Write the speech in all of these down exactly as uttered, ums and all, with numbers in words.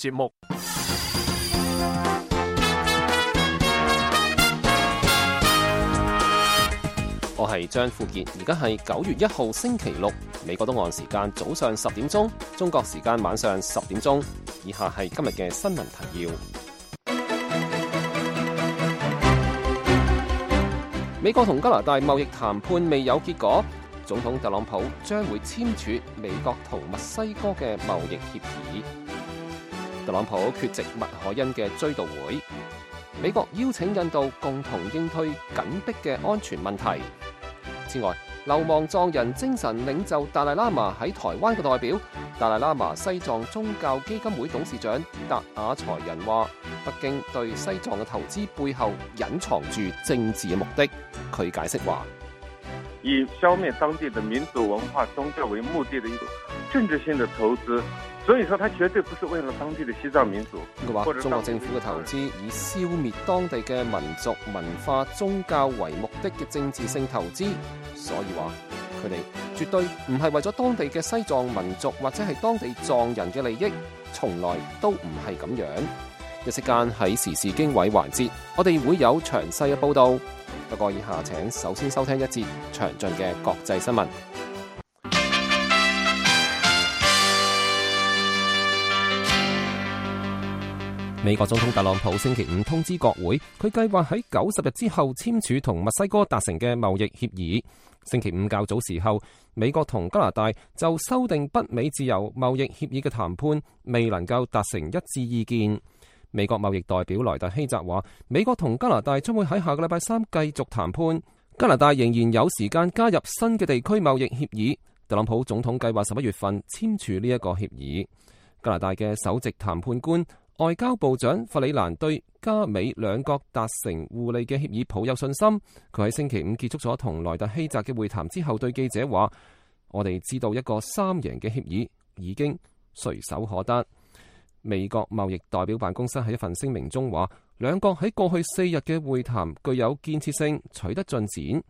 節目。我係張富傑，而家係九月一號星期六，美國東岸時間早上十點鐘，中國時間晚上十點鐘。以下係今日嘅新聞提要。美國同加拿大貿易談判未有結果，總統特朗普將會簽署美國同墨西哥嘅貿易協議。特朗普缺席麥凱恩嘅追悼會。美國邀請印度共同應對緊迫嘅安全問題。此外，流亡藏人精神領袖達賴喇嘛喺台灣嘅代表，達賴喇嘛西藏宗教基金會董事長達雅才仁話，北京對西藏嘅投資背後隱藏住政治嘅目的。佢解釋話，以消滅當地的民族文化宗教為目的的一種政治性的投資，所以說它絕對不是為了當地的西藏民族。佢話中國政府嘅投資以消滅當地嘅民族文化宗教為目的嘅政治性投資，所以話佢哋絕對唔係為咗當地嘅西藏民族或者係當地藏人嘅利益，從來都唔係咁樣。一息間喺時事經緯環節，我哋會有詳細嘅報道。不過以下請首先收聽一節詳盡嘅國際新聞。美國總統特朗普星期五通知國會，佢計劃喺九十日之後簽署同墨西哥達成嘅貿易協議。星期五較早時候，美國同加拿大就修訂北美自由貿易協議嘅談判未能夠達成一致意見。美國貿易代表萊特希澤話，美國同加拿大將會喺下個禮拜三繼續談判，加拿大仍然有時間加入新嘅地區貿易協議。特朗普總統計劃十一月份簽署呢一個協議。加拿大嘅首席談判官外交部長弗里蘭對加美兩國達成互利嘅協議抱有信心。佢喺星期五結束咗同萊特希澤嘅會談之後，對記者話：我哋知道一個三贏嘅協議已經隨手可得。美國貿易代表辦公室喺一份聲明中話，兩國喺過去四日嘅會談具有建設性，取得進展。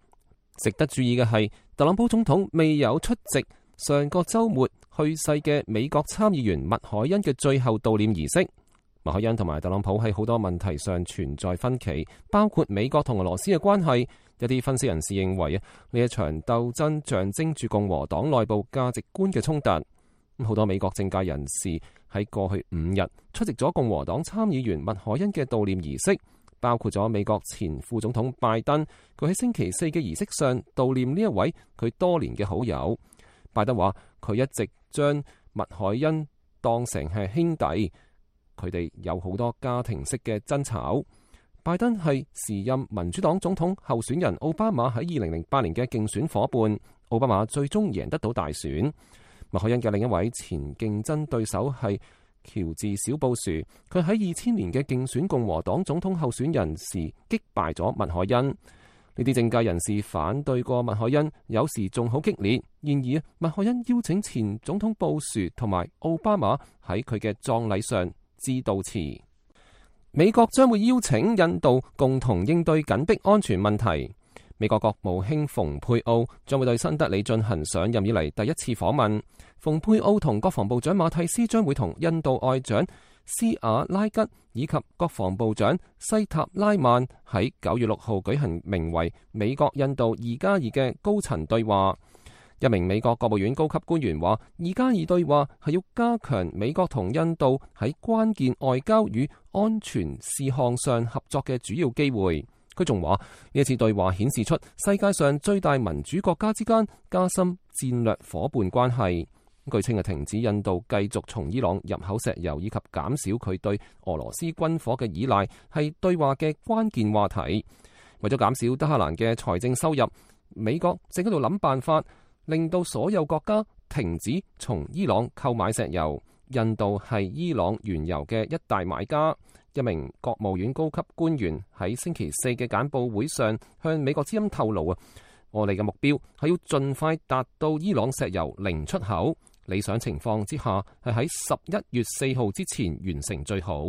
值得注意嘅係，特朗普總統未有出席上個週末去世嘅美國參議員麥凱恩嘅最後悼念儀式。麥凱恩同埋特朗普喺好多問題上存在分歧，包括美國同俄羅斯嘅關係。一啲分析人士認為啊，呢一場鬥爭象徵住共和黨內部價值觀嘅衝突。好多美國政界人士喺過去五日出席咗共和黨參議員麥凱恩嘅悼念儀式，包括咗美國前副總統拜登。佢喺星期四嘅儀式上悼念呢一位佢多年嘅好友。拜登話佢一直將麥凱恩當成係兄弟，佢哋有好多家庭式嘅爭吵。拜登係時任民主黨總統候選人奧巴馬喺二零零八年嘅競選夥伴，奧巴馬最終贏得到大選。麥凱恩嘅另一位前競爭對手係喬治小布殊，佢喺二千年嘅競選共和黨總統候選人時擊敗咗麥凱恩。呢啲政界人士反對過麥凱恩，有時仲好激烈。然而，麥凱恩邀請前總統布殊同埋奧巴馬喺佢嘅葬禮上致悼詞。美國將會邀請印度共同應對緊迫安全問題。美國國務卿蓬佩奧將會對新德里進行上任以嚟第一次訪問。蓬佩奧同國防部長馬蒂斯將會同印度外長斯瓦拉吉以及國防部長西塔拉曼喺九月六號舉行名為美國印度二加二嘅高層對話。一名美國國務院高級官員話，二加二對話係要加強美國同印度喺關鍵外交與安全事項上合作嘅主要機會。佢仲話，呢一次對話顯示出世界上最大民主國家之間加深戰略夥伴關係。據稱係停止印度繼續從伊朗入口石油以及減少佢對俄羅斯軍火嘅依賴，係對話嘅關鍵話題。為咗減少德黑蘭嘅財政收入，美國正喺度諗辦法令到所有國家停止從伊朗購買石油。印度係伊朗原油嘅一大買家。一名國務院高級官員喺星期四嘅簡報會上向美國之音透露啊，我哋嘅目標係要盡快達到伊朗石油零出口，理想情況之下係喺十一月四號之前完成最好。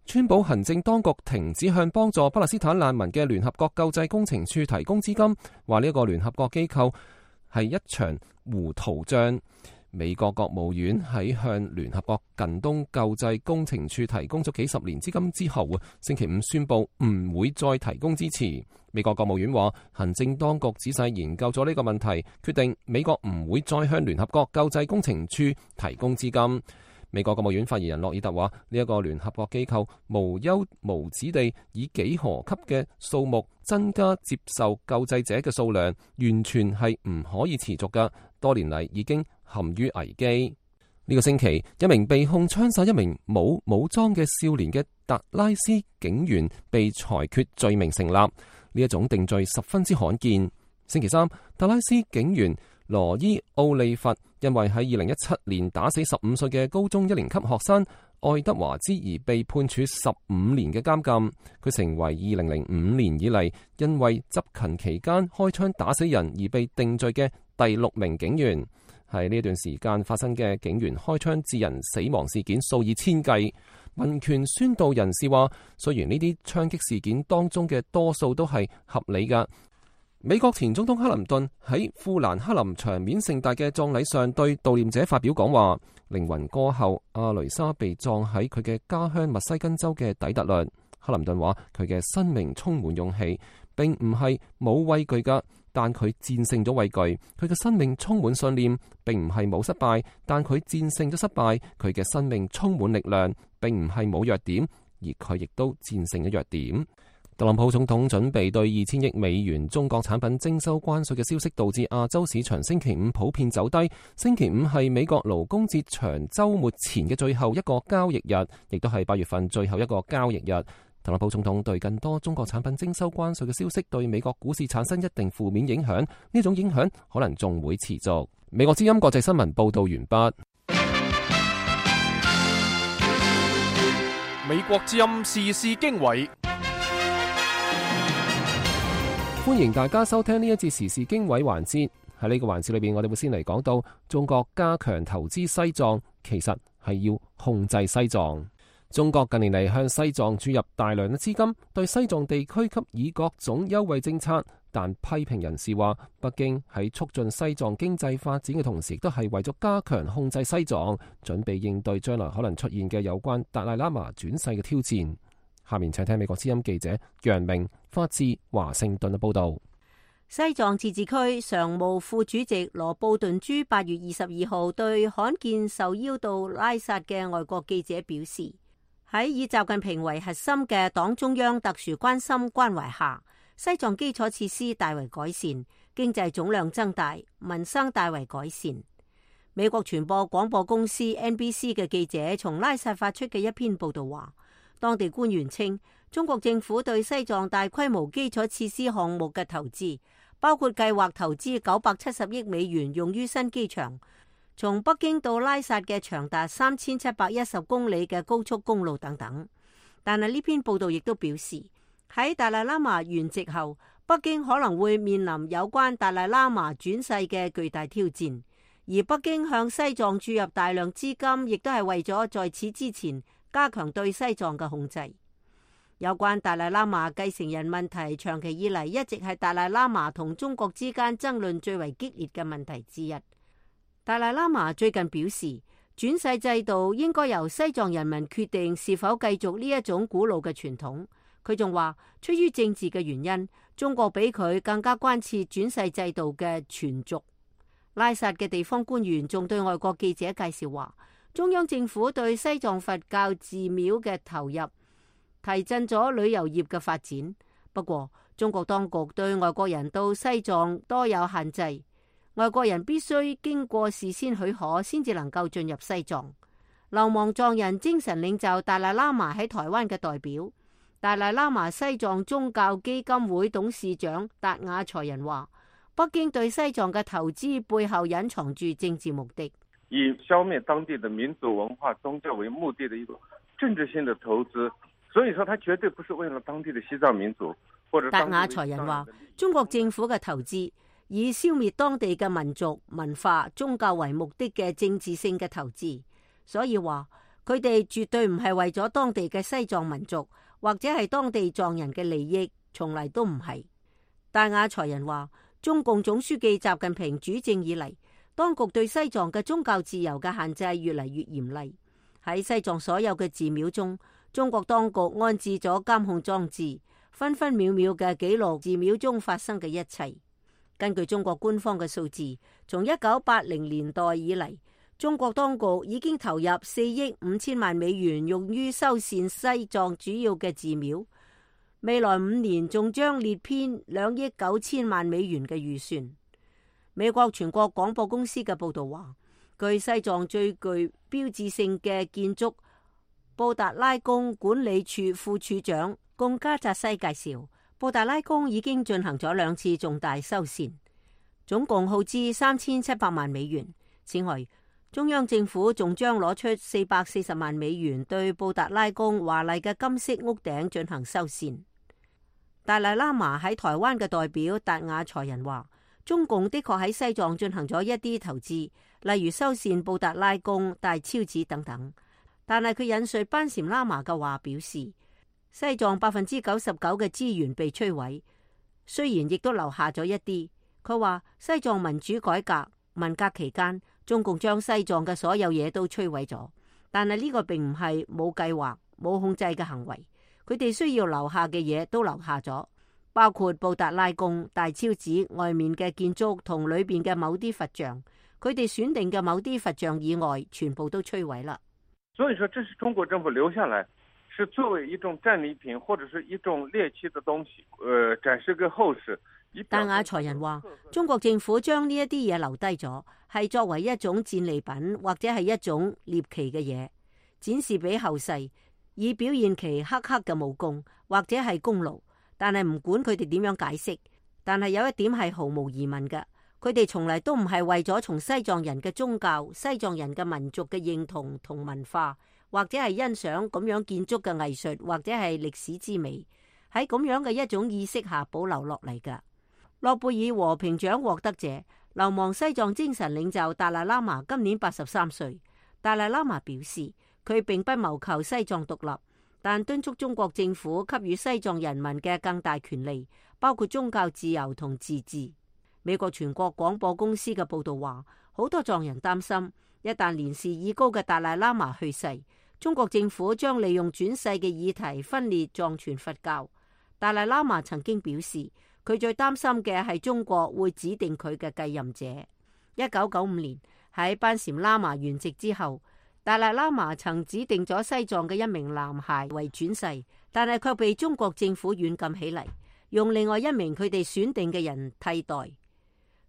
川普行政當局停止向幫助巴勒斯坦難民嘅聯合國救濟工程處提供資金，話呢一個聯合國機構係一場糊塗賬。美國國務院喺向聯合國近東救濟工程處提供咗幾十年資金之後，星期五宣布唔會再提供支持。美國國務院話，行政當局仔細研究咗呢個問題，決定美國唔會再向聯合國救濟工程處提供資金。美國國務院發言人洛爾特話，呢一個聯合國機構無休無止地以幾何級嘅數目增加接受救濟者嘅數量，完全係唔可以持續㗎。多年嚟已經陷於危機。呢個星期，一名被控槍殺一名冇武裝嘅少年嘅達拉斯警員被裁決罪名成立。呢一種定罪十分之罕見。星期三，達拉斯警員羅伊奧利弗因為喺二零一七年打死十五歲嘅高中一年級學生愛德華茲而被判處十五年嘅監禁。佢成為二零零五年以嚟因為執勤期間開槍打死人而被定罪嘅第六名警員。喺呢段時間發生嘅警員開槍致人死亡事件數以千計。民權宣導人士話，雖然呢啲槍擊事件當中嘅多數都係合理㗎。美國前總統克林頓喺富蘭克林場面盛大嘅葬禮上對悼念者發表講話。靈魂歌后阿雷莎被葬喺佢嘅家鄉密西根州嘅底特律。克林頓話佢嘅生命充滿勇氣，並唔係冇畏懼噶，但佢戰勝咗畏懼。佢嘅生命充滿信念，並唔係冇失敗，但佢戰勝咗失敗。佢嘅生命充滿力量，並唔係冇弱點，而佢亦都戰勝咗弱點。特朗普總統準備對二千億美元中國產品徵收關稅嘅消息，導致亞洲市場星期五普遍走低。星期五係美國勞工節長週末前嘅最後一個交易日，亦都係八月份最後一個交易日。特朗普總統對更多中國產品徵收關稅嘅消息對美國股市產生一定負面影響，呢種影響可能仲會持續。美國之音國際新聞報道完畢。美國之音時事經緯。歡迎大家收聽呢一節時事經緯環節。喺呢個環節裏邊，我哋會先嚟講到中國加強投資西藏，其實係要控制西藏。中國近年嚟向西藏注入大量嘅資金，對西藏地區給予各種優惠政策。但批評人士話，北京喺促進西藏經濟發展嘅同時，亦都係為咗加強控制西藏，準備應對將來可能出現嘅有關達賴喇嘛轉世嘅挑戰。下面請聽美國之音記者楊明發自華盛頓嘅報道。西藏自治區常務副主席羅布頓珠八月二十二號對罕見受邀到拉薩嘅外國記者表示，喺以習近平為核心嘅黨中央特殊關心關懷下，西藏基礎設施大為改善，經濟總量增大，民生大為改善。美國傳播廣播公司 N B C 嘅記者從拉薩發出嘅一篇報道話，當地官員稱，中國政府對西藏大規模基礎設施項目嘅投資，包括計劃投資九百七十億美元用於新機場，從北京到拉薩嘅長達三千七百一十公里嘅高速公路等等。但係呢篇報道亦都表示，喺達賴喇嘛圓寂後，北京可能會面臨有關達賴喇嘛轉世嘅巨大挑戰，而北京向西藏注入大量資金，亦都係為咗在此之前加強對西藏嘅控制。有關達賴喇嘛繼承人問題，長期以嚟一直係達賴喇嘛同中國之間爭論最為激烈嘅問題之一。達賴喇嘛最近表示，轉世制度應該由西藏人民決定是否繼續呢一種古老嘅傳統。佢仲話，出於政治嘅原因，中國比佢更加關切轉世制度嘅存續。拉薩嘅地方官員仲對外國記者介紹話，中央政府對西藏佛教寺廟嘅投入提振咗旅遊業嘅發展。不過，中國當局對外國人到西藏多有限制，外國人必須經過事先許可先至能夠進入西藏。流亡藏人精神領袖達賴喇嘛喺台灣嘅代表，達賴喇嘛西藏宗教基金會董事長達雅才仁話，北京對西藏嘅投資背後隱藏住政治目的，以消滅當地的民族文化宗教為目的的一個政治性的投資。所以說，他絕對不是為了當地的西藏民族或者。達雅才仁話，中國政府嘅投資以消滅當地嘅民族文化宗教為目的嘅政治性嘅投資，所以話佢哋絕對唔係為咗當地嘅西藏民族或者係當地藏人嘅利益，從嚟都唔係。達雅才仁話，中共總書記習近平主政以嚟，當局對西藏嘅宗教自由嘅限制越嚟越嚴厲。喺西藏所有嘅寺廟中，中國當局安置咗監控裝置，分分秒秒嘅記錄寺廟中發生嘅一切。根據中國官方嘅數字，從一九八零年代以嚟，中國當局已經投入四億五千萬美元用於修繕西藏主要嘅寺廟，未來五年仲將列編兩億九千萬美元嘅預算。美國全國廣播公司嘅報道話，據西藏最具標誌性嘅建築布達拉宮管理處副處長貢加扎西介紹，布達拉宮已經進行咗兩次重大修繕，總共耗資三千七百萬美元。此外，中央政府仲將攞出四百四十萬美元對布達拉宮華麗嘅金色屋頂進行修繕。達賴喇嘛喺台灣嘅代表達雅才仁話，中共的確喺西藏進行咗一啲投資，例如修繕布達拉宮、大昭寺等等。但係佢引述班禪喇嘛嘅話表示，西藏百分之九十九嘅資源被摧毀，雖然亦都留下咗一啲。佢話西藏民主改革文革期間，中共將西藏嘅所有嘢都摧毀咗，但係呢個並唔係冇計劃、冇控制嘅行為。佢哋需要留下嘅嘢都留下咗，包括布達拉宮、大昭寺外面嘅建築同裏邊嘅某啲佛像。佢哋選定嘅某啲佛像以外，全部都摧毀啦。所以說，這是中國政府留下來，是作為一種戰利品或者是一種獵奇的東西，呃，展示給後世。達雅才仁話，中國政府將呢一啲嘢留低咗，係作為一種戰利品或者係一種獵奇嘅嘢，展示俾後世，以表現其黑黑嘅武功或者係功勞。但係唔管佢哋點樣解釋，但係有一點係毫無疑問嘅，佢哋從嚟都唔係為咗從西藏人嘅宗教、西藏人嘅民族嘅認同同文化，或者係欣賞咁樣建築嘅藝術或者係歷史之美，喺咁樣嘅一種意識下保留落嚟㗎。諾貝爾和平獎獲得者、流亡西藏精神領袖達賴喇嘛今年八十三歲。達賴喇嘛表示，佢並不謀求西藏獨立，但敦促中國政府給予西藏人民嘅更大權利，包括宗教自由同自治。美國全國廣播公司嘅報道話，好多藏人擔心，一旦年事已高嘅達賴喇嘛去世，中國政府將利用轉世嘅議題分裂藏傳佛教。達賴喇嘛曾經表示，佢最擔心嘅係中國會指定佢嘅繼任者。一九九五年喺班禪喇嘛圓寂之後，達賴喇嘛曾指定咗西藏嘅一名男孩為轉世，但係卻被中國政府軟禁起嚟，用另外一名佢哋選定嘅人替代，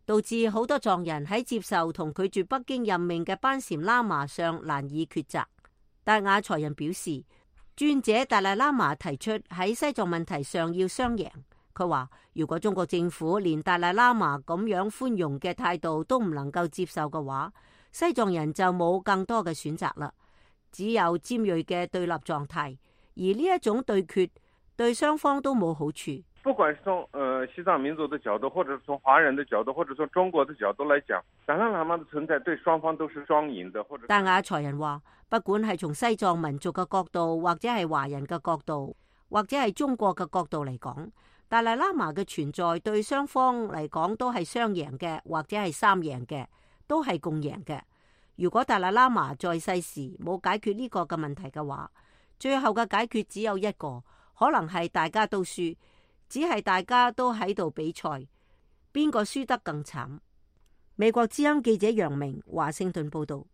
導致好多藏人喺接受同拒絕北京任命嘅班禪喇嘛上難以抉擇。達雅才仁表示，尊者達賴喇嘛提出喺西藏問題上要雙贏。佢話，如果中國政府連達賴喇嘛咁樣寬容嘅態度都唔能夠接受嘅話，西藏人就冇更多嘅選擇啦，只有尖銳嘅對立狀態。而呢一種對決對雙方都冇好處。不管是從呃西藏民族的角度，或者是從華人的角度，或者從中國的角度來講，達賴喇嘛的存在對雙方都是雙贏的。或者達雅才仁話，不管係從西藏民族嘅角度，或者係華人嘅角度，或者係中國嘅角度嚟講，達賴喇嘛嘅存在對雙方嚟講都係雙贏嘅，或者係三贏嘅，都係共贏嘅。如果達賴喇嘛在世時冇解決呢個嘅問題嘅話，最後嘅解決只有一個，可能係大家都輸，只係大家都喺度比賽，邊個輸得更慘。美國之音記者楊明華盛頓報道。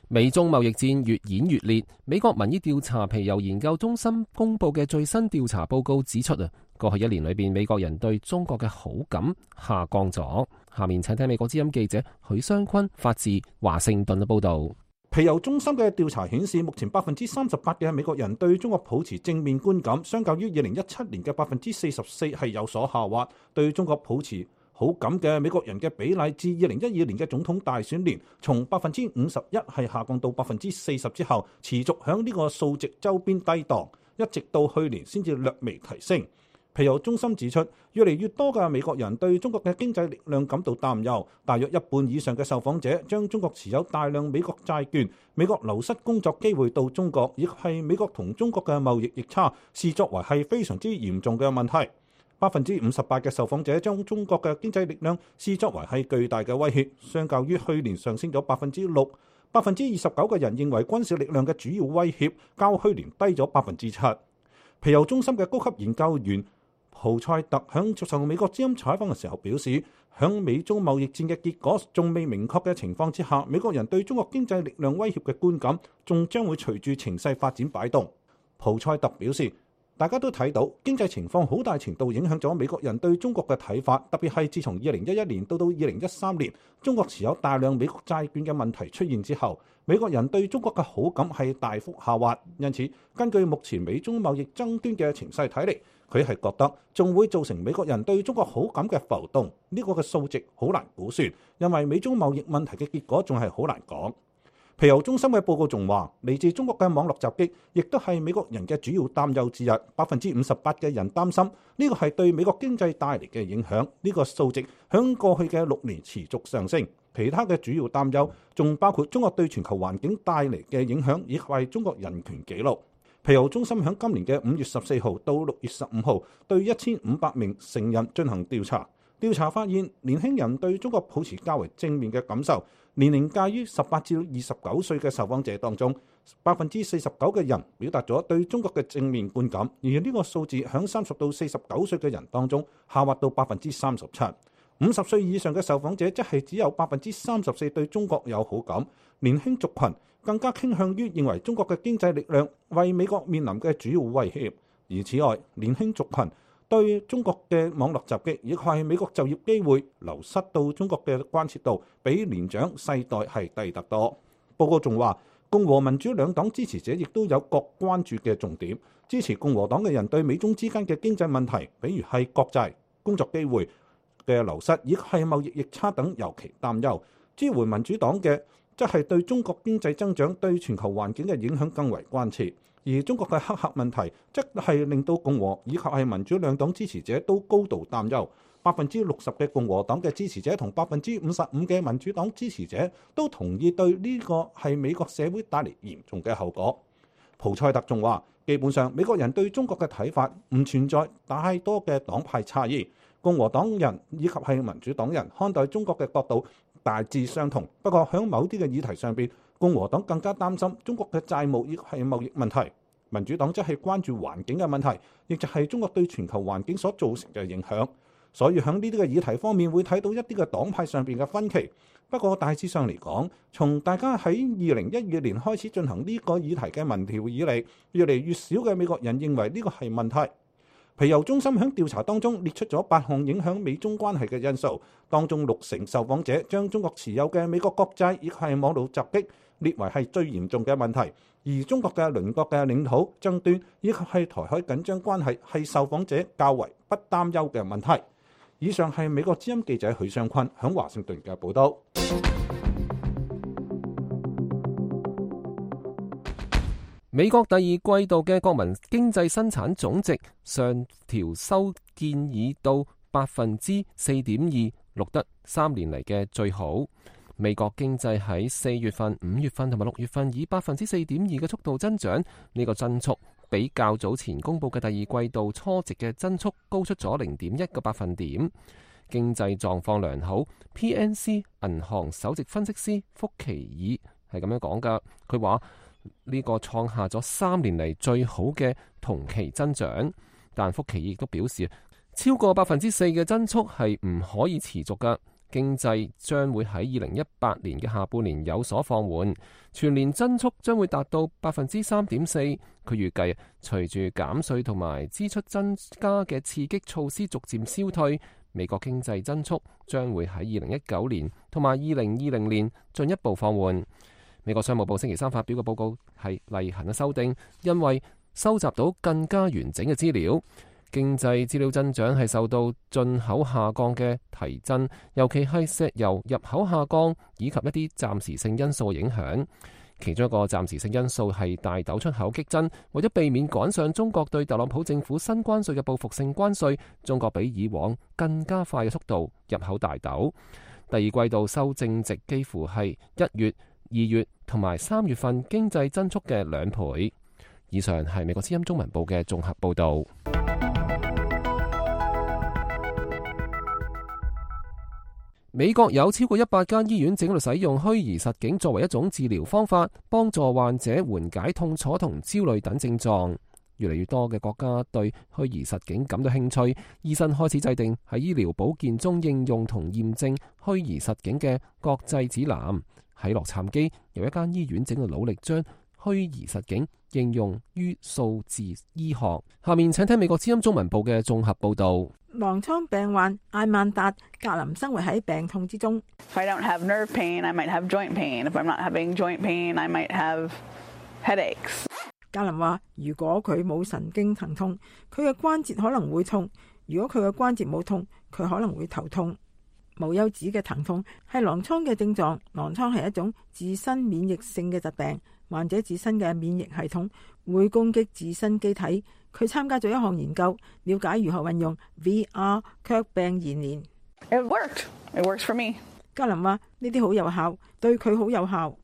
美中貿易戰越演越烈。美國民意調查皮尤研究中心公布嘅最新調查報告指出啊，過去一年裏邊美國人對中國嘅好感下降咗。下面請聽美國之音記者許湘坤發自華盛頓嘅報道。皮尤中心嘅調查顯示，目前百分之三十八嘅美國人對中國抱持正面觀感，相較於二零一七年嘅百分之四十四係有所下滑。對中國抱持好感嘅美國人嘅比例，自二零一二年嘅總統大選年從百分之五十一係下降到百分之四十之後，持續響呢個數值周邊低檔，一直到去年先至略微提升。皮尤中心指出，越嚟越多嘅美國人對中國嘅經濟力量感到擔憂，大約一半以上嘅受訪者將中國持有大量美國債券、美國流失工作機會到中國，亦係美國同中國嘅貿易逆差視作為係非常之嚴重嘅問題。百分之五十八嘅受訪者將中國嘅經濟力量視作為係巨大嘅威脅，相較於去年上升咗百分之六。百分之二十九嘅人認為軍事力量嘅主要威脅較去年低咗百分之七。皮尤中心嘅高級研究員蒲塞特響接受美國之音採訪嘅時候表示，響美中貿易戰嘅結果仲未明確嘅情況之下，美國人對中國經濟力量威脅嘅觀感仲將會隨住情勢發展擺動。蒲塞特表示，大家都睇到經濟情況好大程度影響咗美國人對中國嘅睇法，特別係自從二零一一年到到二零一三年，中國持有大量美國債券嘅問題出現之後，美國人對中國嘅好感係大幅下滑。因此，根據目前美中貿易爭端嘅情勢睇嚟，佢係覺得仲會造成美國人對中國好感嘅浮動。呢個嘅數值好難估算，因為美中貿易問題嘅結果仲係好難講。皮尤中心嘅報告仲話，嚟自中國嘅網絡襲擊亦都係美國人嘅主要擔憂之一。百分之五十八嘅人擔心呢個係對美國經濟帶嚟嘅影響。呢個數值響過去嘅六年持續上升。其他嘅主要擔憂仲包括中國對全球環境帶嚟嘅影響，以及係中國人權紀錄。皮尤中心響今年嘅五月十四號到六月十五號對一千五百名成人進行調查。調查發現，年輕人對中國抱持較為正面嘅感受。年齡介於十八至二十九歲嘅受訪者當中，百分之四十九嘅人表達咗對中國嘅正面觀感，而呢個數字響三十到四十九歲嘅人當中下滑到百分之三十七。五十歲以上嘅受訪者則係只有百分之三十四對中國有好感。年輕族群更加傾向於認為中國嘅經濟力量為美國面臨嘅主要威脅。而此外，年輕族群對中國嘅網絡襲擊，亦係美國就業機會流失到中國嘅關切度，比年長世代係低得多。報告仲話，共和民主兩黨支持者亦都有各關注嘅重點。支持共和黨嘅人對美中之間嘅經濟問題，比如係國債、工作機會嘅流失，以及係貿易逆差等尤其擔憂。支援民主黨嘅則係對中國經濟增長對全球環境嘅影響更為關切。而中國嘅黑客問題，則係令到共和以及係民主兩黨支持者都高度擔憂。百分之六十嘅共和黨嘅支持者同百分之五十五嘅民主黨支持者都同意對呢個係美國社會帶嚟嚴重嘅後果。蒲塞特仲話，基本上美國人對中國嘅睇法唔存在太多嘅黨派差異，共和黨人以及係民主黨人看待中國嘅角度大致相同。不過喺某啲嘅議題上邊，共和黨更加擔心中國嘅債務亦係貿易問題，民主黨則係關注環境嘅問題，亦就係中國對全球環境所造成嘅影響。所以喺呢啲嘅議題方面會睇到一啲嘅黨派上邊嘅分歧。不過大致上嚟講，從大家喺二零一二年開始進行呢個議題嘅民調以嚟，越嚟越少嘅美國人認為呢個係問題。皮尤中心喺調查當中列出咗八項影響美中關係嘅因素，當中六成受訪者將中國持有嘅美國國債亦係網絡襲擊列為係最嚴重嘅問題，而中國嘅鄰國嘅領土爭端以及係台海緊張關係係受訪者較為不擔憂嘅問題。以上係美國之音記者許尚坤喺華盛頓嘅報導。美國第二季度嘅國民經濟生產總值上調修建議到百分之四點二，錄得三年嚟嘅最好。美國經濟喺四月份、五月份同埋六月份以百分之四點二嘅速度增長，呢個增速比較早前公布嘅第二季度初值嘅增速高出咗零點一個百分點。經濟狀況良好 ，P N C 銀行首席分析師福奇爾係咁樣講噶，佢話呢個創下咗三年嚟最好嘅同期增長，但福奇爾亦都表示，超過百分之四嘅增速係唔可以持續噶。經濟將會喺二零一八年嘅下半年有所放緩，全年增速將會達到百分之三點四。佢預計隨住減稅同埋支出增加嘅刺激措施逐漸消退，美國經濟增速將會喺二零一九年同埋二零二零年進一步放緩。美國商務部星期三發表嘅報告係例行嘅修訂，因為收集到更加完整嘅資料。經濟資料增長係受到進口下降嘅提振，尤其係石油入口下降以及一啲暫時性因素影響。其中一個暫時性因素係大豆出口激增，為咗避免趕上中國對特朗普政府新關稅嘅報復性關稅，中國比以往更加快嘅速度入口大豆。第二季度修正值幾乎係一月、二月同埋三月份經濟增速嘅兩倍。以上係美國之音中文部嘅綜合報導。美國有超過一百間醫院正喺度使用虛擬實境作為一種治療方法，幫助患者緩解痛楚同焦慮等症狀。越嚟越多嘅國家對虛擬實境感到興趣，醫生開始制定喺醫療保健中應用同驗證虛擬實境嘅國際指南。喺洛杉磯，有一間醫院正喺度努力將虛擬實境應用於數字醫學。下面請聽美國之音中文部嘅綜合報導。狼瘡病患艾曼達格林生活喺病痛之中。If I don't have nerve pain, I might have joint pain. If I'm not having joint pain, I might have headaches. 格林話：如果佢冇神經疼痛，佢嘅關節可能會痛；如果佢嘅關節冇痛，佢可能會頭痛。無休止嘅疼痛係狼瘡嘅症狀。狼瘡係一種自身免疫性嘅疾病，患者自身嘅免疫系統會攻擊自身機體。佢參加咗一項研究，了解如何運用 V R 卻病延年。It worked. It works for me. 格林話：呢啲好有效，對佢好有效。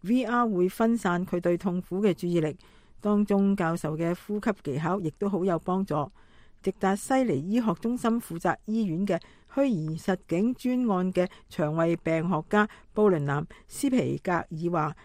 V R 會分散佢對痛苦嘅注意力，當中教授嘅呼吸技巧亦都好有幫助。直達西尼醫學中心負責醫院嘅虛擬實境專案嘅腸胃病學家布倫南斯皮格爾話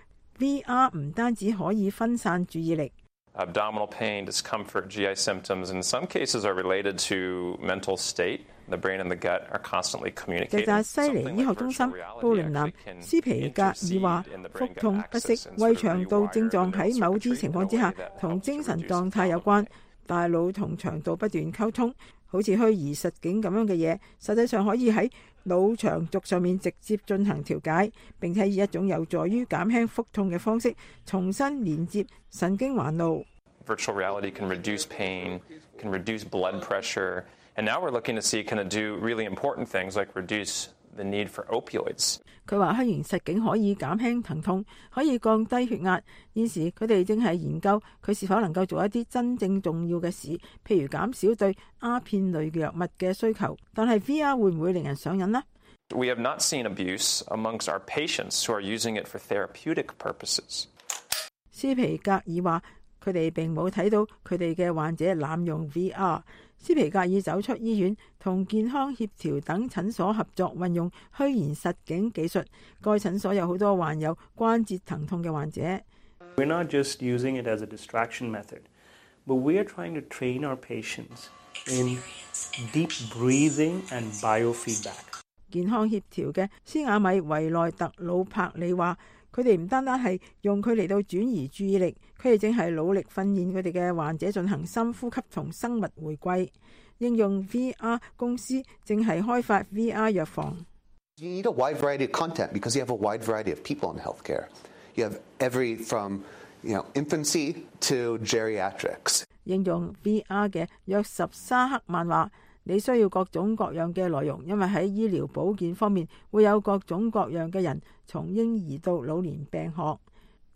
：V R 唔單止可以分散注意力。Abdominal pain, discomfort, G I symptoms in some cases are related to mental state. The brain and the gut are constantly communicating. 直達西尼醫學中心布倫南斯皮格爾話：腹痛、不適、胃腸道症狀喺某啲情況之下同精神狀態有關。大腦同腸道不斷溝通，好似虛擬實境咁樣嘅嘢，實際上可以喺腦腸軸上面直接進行調解，並且以一種有助於減輕腹痛嘅方式重新連接神經環路。Virtual reality can reduce pain, can reduce blood pressure, and now we're looking to see can it do really important things like reduce the need for opioids. 佢話虛擬實境可以減輕疼痛，可以降低血壓。現時佢哋正係研究佢是否能夠做一啲真正重要嘅事，譬如減少對鴉片類嘅藥物嘅需求。但係 V R 會唔會令人上癮呢？ We have not seen abuse amongst our patients who are using it for therapeutic purposes. 斯皮格爾話：佢哋並冇睇到佢哋嘅患者濫用 V R。斯皮格爾走出醫院，同健康協調等診所合作，運用虛擬實境技術。該診所有好多患有關節疼痛嘅患者。We're not just using it as a distraction method, but we are trying to train our patients in deep breathing and biofeedback. 健康協調嘅斯亞米維內特魯柏里話：佢哋唔單單係用佢嚟到轉移注意力，佢哋正係努力訓練佢哋嘅患者進行深呼吸同生物回歸。應用 V R 公司正係開發 V R 藥房。You need a wide variety of content because you have a wide variety of people in healthcare. You have every from, you know, infancy to geriatrics. 應用 V R 嘅約什沙克曼話：你需要各種各樣嘅內容，因為喺醫療保健方面會有各種各樣嘅人，從嬰兒到老年病學。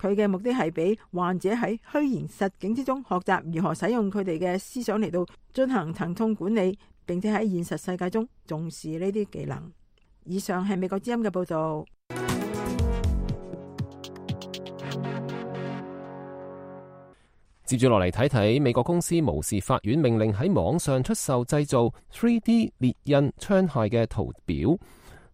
佢嘅目的係俾患者喺虛擬實境之中學習如何使用佢哋嘅思想嚟到進行疼痛管理，並且喺現實世界中重視呢啲技能。以上係美國之音嘅報導。接住落嚟睇睇美國公司無視法院命令喺網上出售製造 三 D 列印槍械嘅圖表。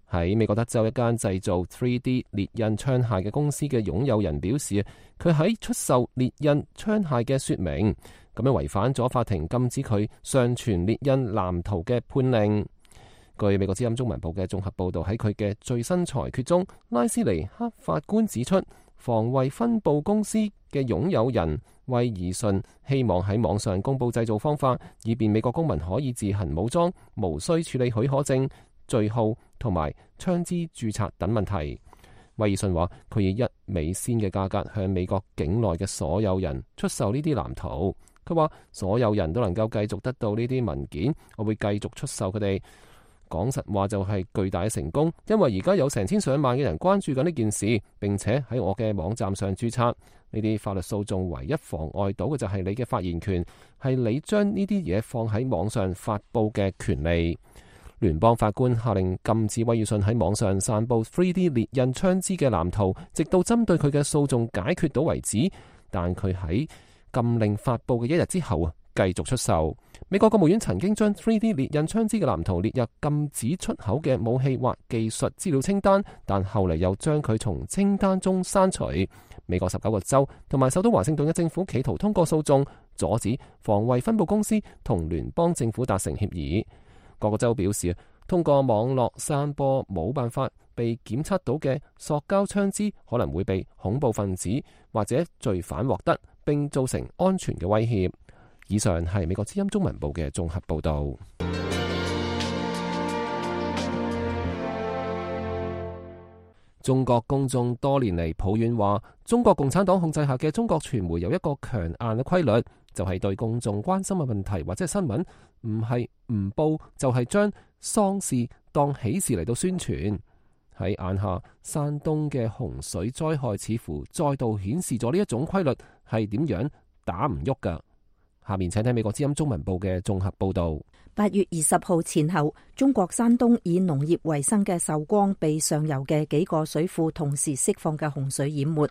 喺美國德州一間製造 三 D 列印槍械嘅公司嘅擁有人表示，佢喺出售列印槍械嘅說明，咁樣違反咗法庭禁止佢上傳列印藍圖嘅判令。據美國之音中文部嘅綜合報導，喺佢嘅最新裁決中，拉斯尼克法官指出，防衛分部公司嘅擁有人威爾遜希望喺網上公佈製造方法，以便美國公民可以自行武裝，無需處理許可證、序號同埋槍支註冊等問題。威爾遜話：佢以一美仙嘅價格向美國境內嘅所有人出售呢啲藍圖。佢話：所有人都能夠繼續得到呢啲文件，我會繼續出售佢哋。講實話就係巨大嘅成功，因為而家有成千上萬嘅人關注緊呢件事，並且喺我嘅網站上註冊。呢啲法律訴訟唯一妨礙到嘅就係你嘅發言權，係你將呢啲嘢放喺網上發佈嘅權利。聯邦法官下令禁止威爾遜喺網上散佈 三 D 列印槍支嘅藍圖，直到針對佢嘅訴訟解決到為止。但佢喺禁令發佈嘅一日之後啊，繼續出售。美國國務院曾經將 三 D 列印槍支嘅藍圖列入禁止出口嘅武器或技術資料清單，但後嚟又將佢從清單中刪除。美國十九個州同埋首都華盛頓嘅政府企圖通過訴訟，阻止防衛分部公司同聯邦政府達成協議。各個州表示，通過網絡散播冇辦法被檢測到嘅塑膠槍支，可能會被恐怖分子或者罪犯獲得，並造成安全嘅威脅。以上係美國之音中文部嘅綜合報導。中國公眾多年嚟抱怨話，中國共產黨控制下嘅中國傳媒有一個強硬嘅規律，就係對公眾關心嘅問題或者新聞，唔係唔報就係將喪事當喜事嚟到宣傳。喺眼下，山東嘅洪水災害似乎再度顯示咗呢一種規律係點樣打唔喐㗎。下面請睇美國之音中文部嘅綜合報導。八月二十號前後，中國山東以農業為生嘅壽光被上游嘅幾個水庫同時釋放嘅洪水淹沒。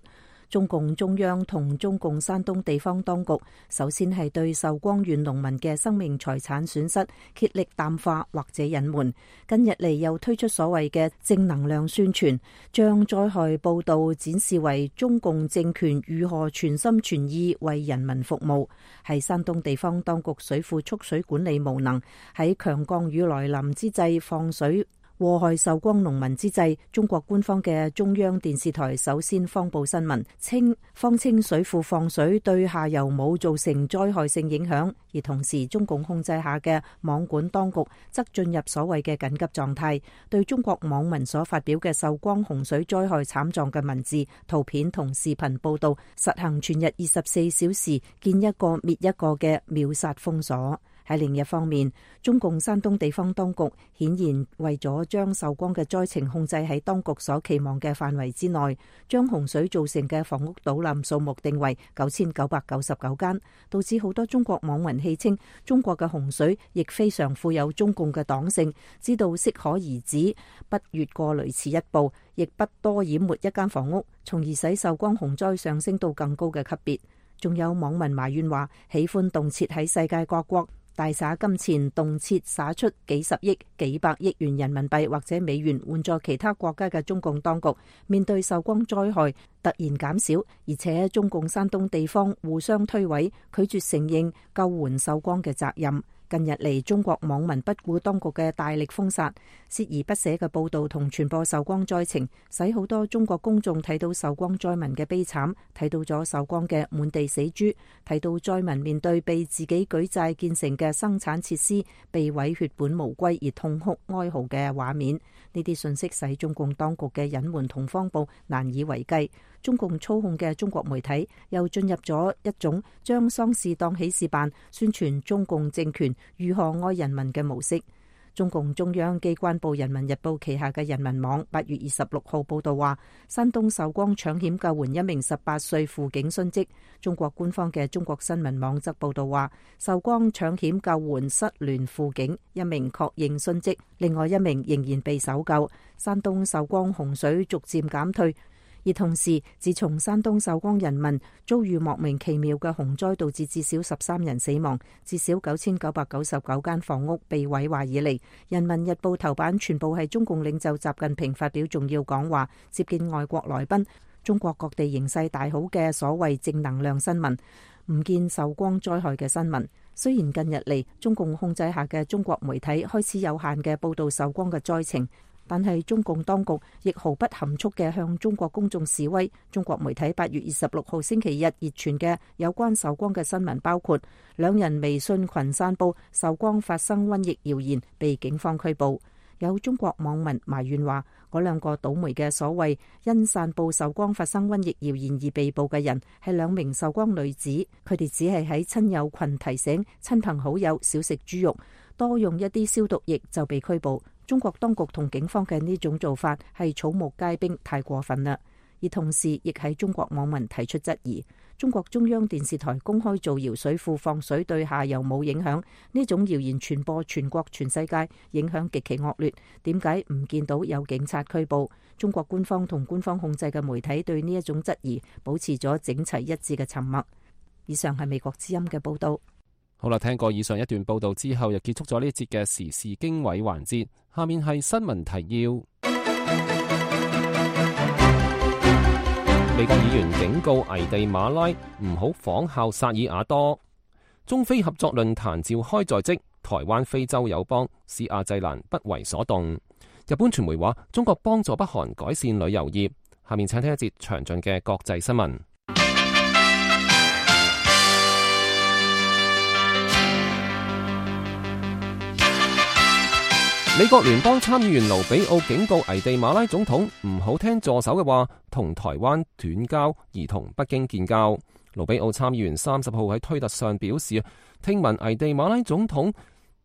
中共中央同中共山東地方當局首先係對壽光縣農民嘅生命財產損失竭力淡化或者隱瞞，近日嚟又推出所謂嘅正能量宣傳，將災害報道展示為中共政權如何全心全意為人民服務，係山東地方當局水庫蓄水管理無能，喺強降雨來臨之際放水禍害壽光農民之際，中國官方嘅中央電視台首先放報新聞，稱方稱水庫放水對下游冇造成災害性影響，而同時中共控制下嘅網管當局則進入所謂嘅緊急狀態，對中國網民所發表嘅壽光洪水災害慘狀嘅文字、圖片同視頻報道，實行全日二十四小時見一個滅一個嘅秒殺封鎖。喺另一方面，中共山東地方當局顯然為咗將壽光嘅災情控制喺當局所期望嘅範圍之內，將洪水造成嘅房屋倒冧數目定為九千九百九十九間，導致好多中國網民戲稱中國嘅洪水亦非常富有中共嘅黨性，知道適可而止，不越過類似一步，亦不多淹沒一間房屋，從而使壽光洪災上升到更高嘅級別。仲有網民埋怨話，喜歡動輒喺世界各國大灑金錢，動輒灑出幾十億、幾百億元人民幣或者美元援助其他國家嘅中共當局，面對壽光災害突然減少，而且中共山東地方互相推諉，拒絕承認救援壽光嘅責任。近日嚟，中國網民不顧當局嘅大力封殺，鍥而不捨嘅報導同傳播壽光災情，使好多中國公眾睇到壽光災民嘅悲慘，睇到咗壽光嘅滿地死豬，睇到災民面對被自己舉債建成嘅生產設施被毀血本無歸而痛哭哀嚎嘅畫面。呢啲信息使中共當局嘅隱瞞同謊報難以為繼。中共操控嘅中國媒體又進入咗一種將喪事當喜事辦，宣傳中共政權如何愛人民嘅模式。中共中央機關報《人民日報》旗下嘅人民網八月二十六號報道話，山東壽光搶險救援一名十八歲輔警殉職。中國官方嘅中國新聞網則報道話，壽光搶險救援失聯輔警一名確認殉職，另外一名仍然被搜救。山東壽光洪水逐漸減退。而同時，自從山東壽光人民遭遇莫名其妙嘅洪災，導致至少十三人死亡，至少九千九百九十九間房屋被毀壞以嚟，《人民日報》頭版全部係中共領袖習近平發表重要講話、接見外國來賓、中國各地形勢大好嘅所謂正能量新聞，唔見壽光災害嘅新聞。雖然近日嚟中共控制下嘅中國媒體開始有限嘅報導壽光嘅災情，但係中共當局亦毫不含蓄嘅向中國公眾示威。中國媒體八月二十六號星期日熱傳嘅有關壽光嘅新聞包括兩人微信群散布壽光發生瘟疫謠言，被警方拘捕。有中國網民埋怨話，嗰兩個倒霉嘅所謂因散布壽光發生瘟疫謠言而被捕嘅人係兩名壽光女子，佢哋只係喺親友群提醒親朋好友少食豬肉，多用一啲消毒液就被拘捕。中國當局同警方嘅呢種做法係草木皆兵，太過分啦。而同時亦喺中國網民提出質疑，中國中央電視台公開造謠水庫放水對下游冇影響，呢種謠言傳播全國全世界，影響極其惡劣，點解唔見到有警察拘捕？中國官方同官方控制嘅媒體對呢一種質疑保持咗整齊一致嘅沉默。以上係美國之音嘅報道。好啦，聽過以上一段報道之後，又結束咗呢一節嘅時事經緯環節。下面係新聞提要。美國議員警告危地馬拉唔好仿效薩爾瓦多。中非合作論壇召開在即，台灣非洲友邦史亞濟蘭不為所動。日本傳媒話中國幫助北韓改善旅遊業。下面請聽一節詳盡嘅國際新聞。美國聯邦參議員盧比奧警告危地馬拉總統唔好聽助手嘅話，同台灣斷交而同北京建交。盧比奧參議員三十號喺推特上表示，聽聞危地馬拉總統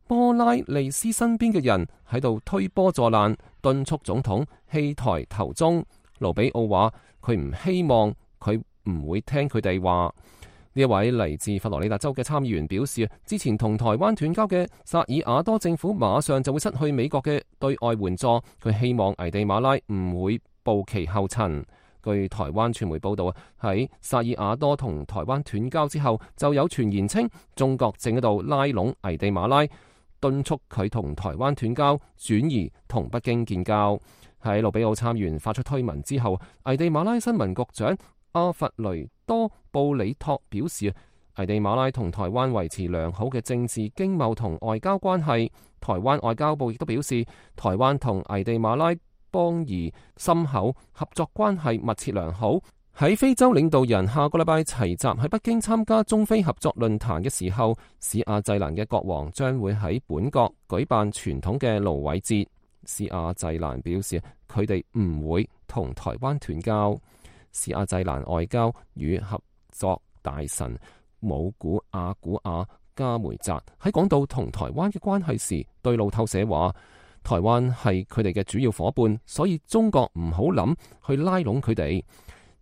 波拉利斯身邊嘅人喺度推波助瀾，敦促總統棄台投中。盧比奧話佢唔希望佢唔會聽佢哋話。呢一位嚟自佛羅里達州嘅參議員表示，之前同台灣斷交嘅薩爾瓦多政府馬上就會失去美國嘅對外援助，佢希望危地馬拉唔會步其後塵。據台灣傳媒報道，喺薩爾瓦多同台灣斷交之後，就有傳言稱中國正喺度拉攏危地馬拉，敦促佢同台灣斷交，轉移同北京建交。喺盧比奧參議員發出推文之後，危地馬拉新聞局長阿弗雷多布里托表示，危地馬拉同台灣維持良好嘅政治、經貿同外交關係。台灣外交部亦都表示，台灣同危地馬拉邦誼深厚，合作關係密切良好。喺非洲領導人下個禮拜齊集喺北京參加中非合作論壇嘅時候，史亞濟蘭嘅國王將會喺本國舉辦傳統嘅蘆葦節。史亞濟蘭表示，佢哋唔會同台灣斷交。史亞濟蘭外交與合作大臣姆古阿古亞加梅澤喺講到同台灣嘅關係時，對路透社話，台灣係佢哋嘅主要伙伴，所以中國唔好諗去拉攏佢哋。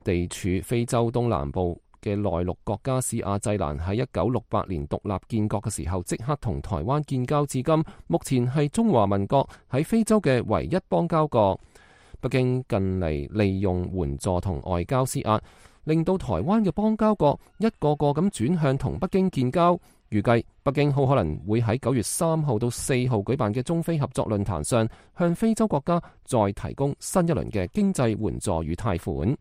地處非洲東南部嘅內陸國家史亞濟蘭喺一九六八年獨立建國嘅時候，即刻同台灣建交至今，目前係中華民國喺非洲嘅唯一邦交國。北京近嚟利用援助同外交施壓，令到台灣嘅邦交國一個個咁轉向同北京建交。預計北京好可能會喺九月三號到四號舉辦嘅中非合作論壇上，向非洲國家再提供新一輪嘅經濟援助與貸款。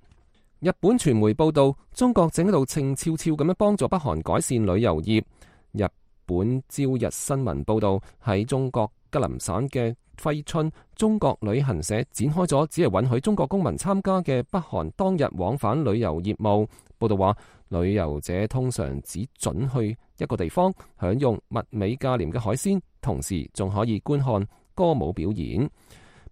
日本傳媒報道，中國正喺度靜悄悄咁樣幫助北韓改善旅遊業。日本朝日新聞報道，喺中國吉林省嘅揮春中國旅行社展開咗只係允許中國公民參加嘅北韓當日往返旅遊業務。報道話，旅遊者通常只准去一個地方享用物美價廉嘅海鮮，同時仲可以觀看歌舞表演。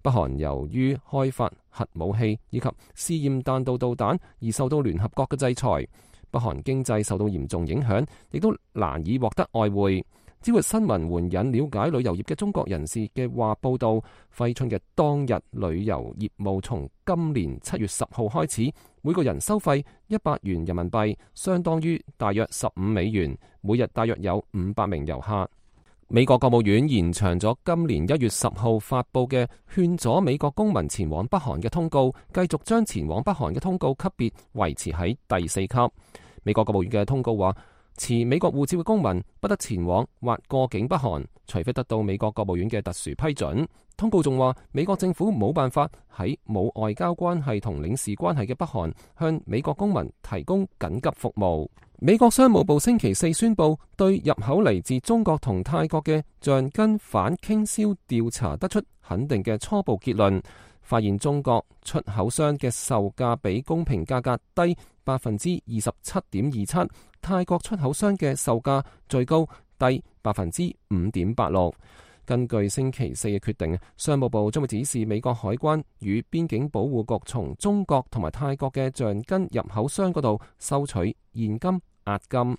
北韓由於開發核武器以及試驗彈道導彈而受到聯合國嘅制裁，北韓經濟受到嚴重影響，亦都難以獲得外匯。朝日新聞援引了解旅遊業嘅中國人士嘅話報道，揮春嘅當日旅遊業務從今年七月十號開始，每個人收費一百元人民幣，相當於大約十五美元，每日大約有五百名遊客。美國國務院延長咗今年一月十號發佈嘅勸阻美國公民前往北韓嘅通告，繼續將前往北韓嘅通告級別維持喺第四級。美國國務院嘅通告話，持美國護照嘅公民不得前往或過境北韓，除非得到美國國務院嘅特殊批准。通告仲話，美國政府冇辦法喺冇外交關係同領事關係嘅北韓向美國公民提供緊急服務。美國商務部星期四宣布，對入口嚟自中國同泰國嘅橡筋反傾銷調查得出肯定嘅初步結論，發現中國出口商嘅售價比公平價格低百分之二十七點二七，泰國出口商嘅售價最高低百分之五點八六。根據星期四嘅決定，商務部將會指示美國海關與邊境保護局從中國同埋泰國嘅橡筋入口商嗰度收取現金押金。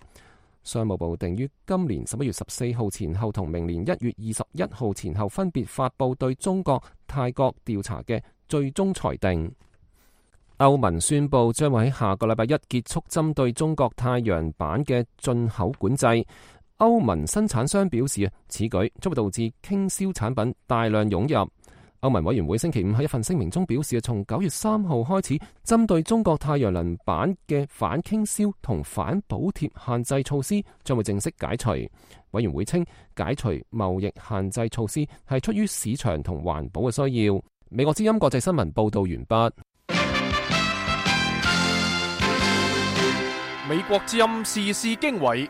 商務部定於今年十一月十四號前後同明年一月二十一號前後分別發佈對中國、泰國調查嘅最終裁定。歐盟宣布將會喺下個禮拜一結束針對中國太陽板嘅進口管制。歐盟生產商表示，此舉將會導致傾銷產品大量湧入。歐盟委員會星期五喺一份聲明中表示，從九月三號開始，針對中國太陽能板嘅反傾銷同反補貼限制措施將會正式解除。委員會稱，解除貿易限制措施係出於市場同環保嘅需要。美國之音國際新聞報道完畢。美國之音時事經緯，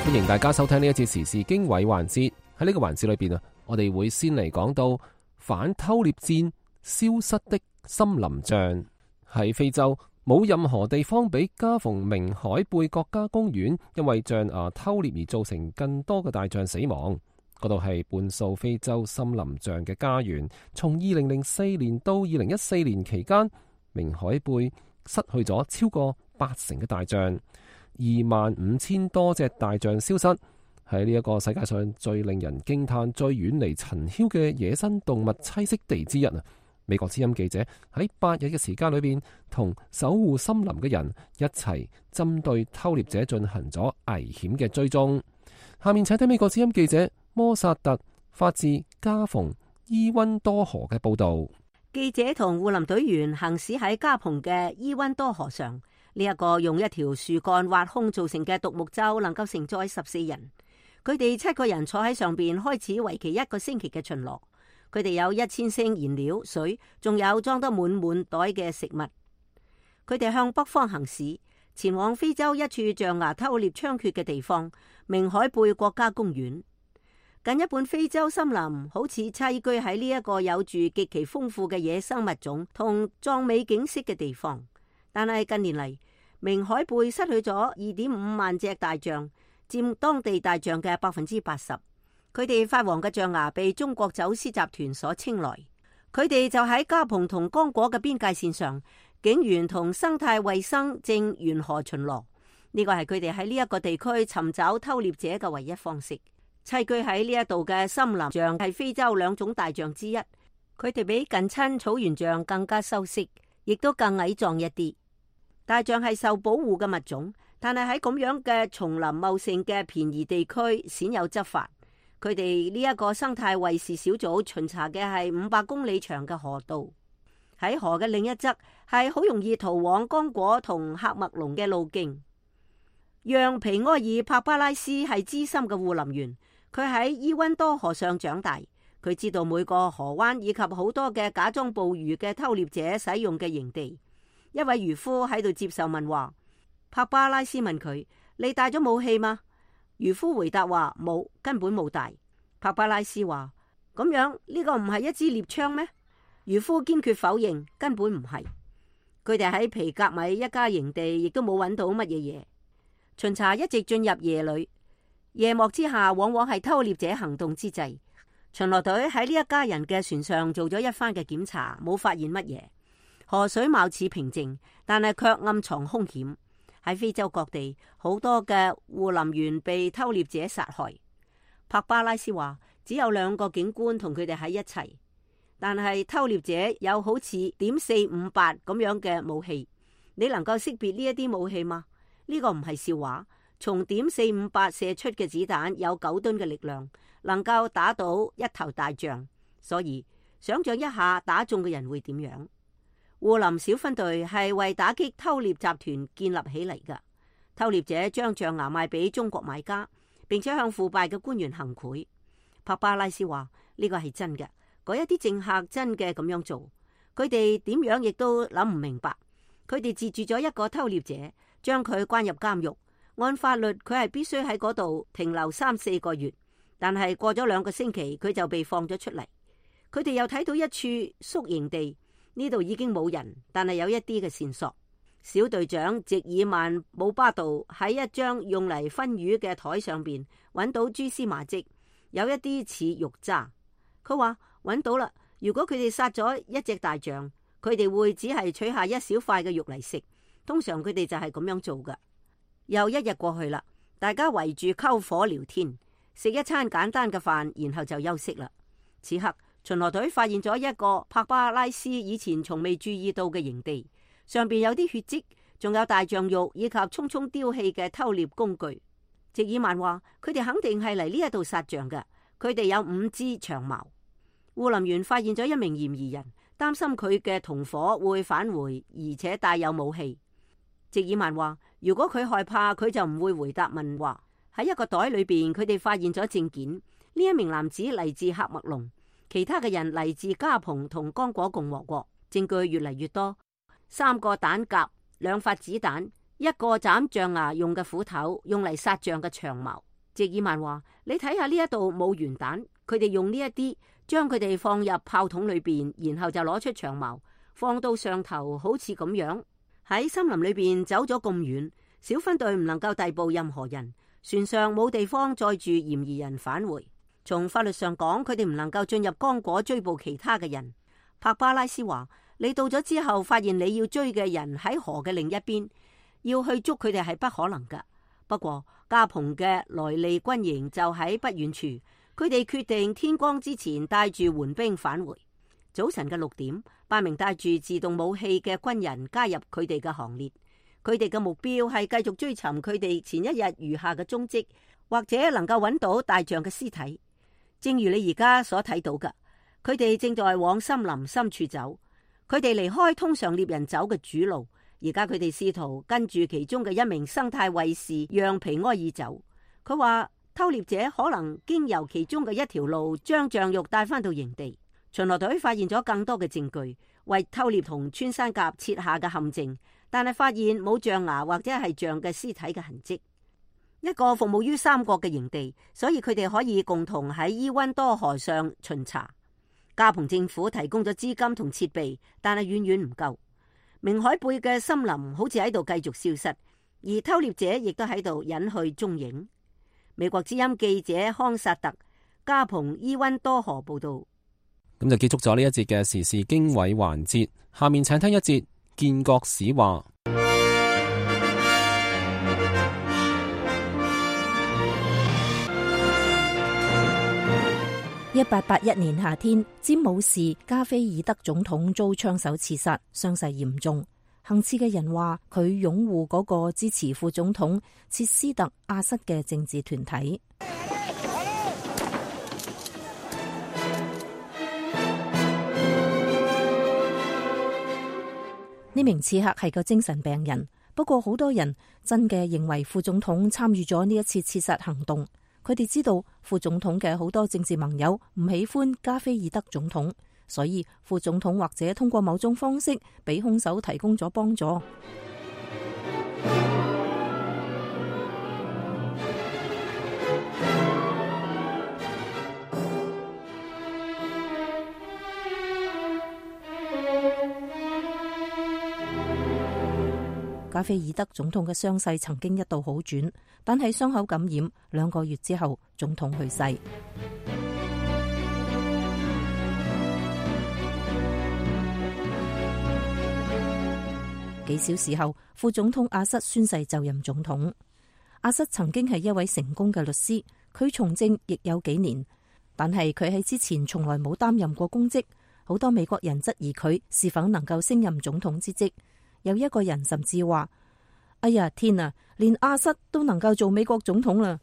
歡迎大家收聽呢一節時事經緯環節。喺呢個環節裏邊啊，我哋會先嚟講到反偷獵戰消失的森林象。喺非洲，冇任何地方比加蓬明海貝國家公園因為象牙偷獵而造成更多嘅大象死亡。嗰度係半數非洲森林象嘅家園。從二零零四年到二零一四年期間，明海貝失去咗超過八成嘅大象，二萬五千多隻大象消失。喺呢一個世界上最令人驚嘆、最遠離塵囂嘅野生動物棲息地之一啊！美國之音記者喺八日嘅時間裏邊，同守護森林嘅人一齊針對偷獵者進行咗危險嘅追蹤。下面請聽美國之音記者摩薩特發自加蓬伊溫多河嘅報道。記者同護林隊員行駛喺加蓬嘅伊溫多河上，呢、這、一個用一條樹幹挖空造成嘅獨木舟，能夠承載十四人。佢哋七個人坐喺上邊，開始為期一個星期嘅巡邏。佢哋有一千升燃料、水，仲有裝得滿滿袋嘅食物。佢哋向北方行駛，前往非洲一處象牙偷獵猖獗嘅地方——明海貝國家公園。近一半非洲森林好似棲居喺呢一個有住極其豐富嘅野生物種同壯美景色嘅地方，但係近年嚟，明海貝失去咗二點五萬隻大象，佔當地大象嘅百分之八十。佢哋發黃嘅象牙被中國走私集團所青睞。佢哋就喺加蓬同剛果嘅邊界線上，警員同生態衛生正沿河巡邏。呢個係佢哋喺呢一個地區尋找偷獵者嘅唯一方式。棲居喺呢一度嘅森林象係非洲兩種大象之一，佢哋比近親草原象更加修飾，亦都更矮壯一啲。大象係受保護嘅物種，但係喺咁樣嘅叢林茂盛嘅便宜地區鮮有執法。佢哋呢一個生態衛士小組巡查嘅係五百公里長嘅河道，喺河嘅另一側係好容易逃往剛果同喀麥隆嘅路徑。讓皮埃爾帕巴拉斯係資深嘅護林員。佢喺伊溫多河上長大，佢知道每個河灣以及好多嘅假裝捕魚嘅偷獵者使用嘅營地。一位漁夫喺度接受問話，帕巴拉斯問佢：你帶咗武器嗎？漁夫回答話冇，根本冇帶。帕巴拉斯話：咁樣呢個唔係一支獵槍咩？漁夫堅決否認，根本唔係。佢哋喺皮格米一家營地亦都冇揾到乜嘢嘢。巡查一直進入夜裏。夜幕之下，往往係偷獵者行動之際。巡邏隊喺呢一家人嘅船上做咗一番嘅檢查，冇發現乜嘢。河水貌似平靜，但係卻暗藏凶險。喺非洲各地，好多嘅護林員被偷獵者殺害。帕巴拉斯話，只有兩個警官同佢哋喺一齊，但係偷獵者有好似點四五八咁樣嘅武器。你能夠識別呢一啲武器嗎？呢個唔係笑話。從點四五八射出嘅子彈有九噸嘅力量，能夠打倒一頭大象。所以想象一下打中嘅人會點樣？護林小分隊係為打擊偷獵集團建立起嚟㗎。偷獵者將象牙賣俾中國買家，並且向腐敗嘅官員行賄。帕巴拉斯話呢個係真嘅，嗰一啲政客真嘅咁樣做，佢哋點樣亦都諗唔明白。佢哋截住咗一個偷獵者，將佢關入監獄。按法律，佢係必須喺嗰度停留三四個月，但係過咗兩個星期，佢就被放咗出嚟。佢哋又睇到一處宿營地，呢度已經冇人，但係有一啲嘅線索。小隊長席爾曼姆巴杜喺一張用嚟分魚嘅台上邊揾到蛛絲馬跡，有一啲似肉渣。佢話揾到啦，如果佢哋殺咗一隻大象，佢哋會只係取下一小塊嘅肉嚟食。通常佢哋就係咁樣做噶。又一日過去啦，大家圍住篝火聊天，食一餐簡單嘅飯，然後就休息啦。此刻巡邏隊發現咗一個帕巴拉斯以前從未注意到嘅營地，上邊有啲血跡，仲有大象肉以及匆匆丟棄嘅偷獵工具。席爾曼話：佢哋肯定係嚟呢一度殺象嘅，佢哋有五支長矛。護林員發現咗一名嫌疑人，擔心佢嘅同伙會返回，而且帶有武器。席爾曼話：如果佢害怕，佢就唔會回答問話。喺一個袋裏邊，佢哋發現咗證件。呢一名男子嚟自喀麥隆，其他嘅人嚟自加蓬同剛果共和國。證據越嚟越多，三個彈夾，兩發子彈，一個斬象牙用嘅斧頭，用嚟殺象嘅長矛。席爾曼話：你睇下呢一度冇圓彈，佢哋用呢一啲將佢哋放入炮筒裏邊，然後就攞出長矛放到上頭，好似咁樣。喺森林裏邊走咗咁遠，小分隊唔能夠逮捕任何人，船上冇地方載住嫌疑人返回。從法律上講，佢哋唔能夠進入剛果追捕其他嘅人。帕巴拉斯話：你到咗之後，發現你要追嘅人喺河嘅另一邊，要去捉佢哋係不可能㗎。不過加蓬嘅萊利軍營就喺不遠處，佢哋決定天光之前帶住援兵返回。早晨嘅六點，八名帶住自動武器嘅軍人加入佢哋嘅行列。佢哋嘅目標係繼續追尋佢哋前一日餘下嘅蹤跡，或者能夠揾到大象嘅屍體。正如你而家所睇到嘅，佢哋正在往森林深處走。佢哋離開通常獵人走嘅主路，而家佢哋試圖跟住其中嘅一名生態衛士讓皮埃爾走。佢話偷獵者可能經由其中嘅一條路將象肉帶翻到營地。巡邏隊發現咗更多嘅證據，為偷獵同穿山甲設下嘅陷阱，但係發現冇象牙或者係象嘅屍體嘅痕跡。一個服務於三國嘅營地，所以佢哋可以共同喺伊溫多河上巡查。加蓬政府提供咗資金同設備，但係遠遠唔夠。明海貝嘅森林好似喺度繼續消失，而偷獵者亦都喺度隱去蹤影。美國之音記者康薩特，加蓬伊溫多河報道。咁就結束咗呢一節嘅時事經緯環節，下面請聽一節建國史話。一八八一年夏天，詹姆士加菲爾德總統遭槍手刺殺，傷勢嚴重。行刺嘅人話佢擁護嗰個支持副總統切斯特阿瑟嘅政治團體。呢名刺客係個精神病人，不過好多人真嘅認為副總統參與咗呢一次刺殺行動。佢哋知道副總統嘅好多政治盟友唔喜歡加菲爾德總統，所以副總統或者通過某種方式俾兇手提供咗幫助。加菲爾德總統嘅傷勢曾經一度好轉，但係傷口感染，兩個月之後總統去世。幾小時後，副總統阿瑟宣誓就任總統。阿瑟曾經係一位成功嘅律師，佢從政亦有幾年，但係佢喺之前從來冇擔任過公職。好多美國人質疑佢是否能夠升任總統之職。有一個人甚至話：哎呀天啊，連阿瑟都能夠做美國總統啦！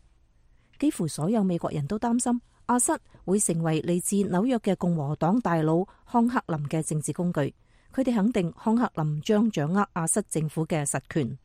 幾乎所有美國人都擔心阿瑟會成為嚟自紐約嘅共和黨大佬康克林嘅政治工具。佢哋肯定康克林將掌握阿瑟政府嘅實權。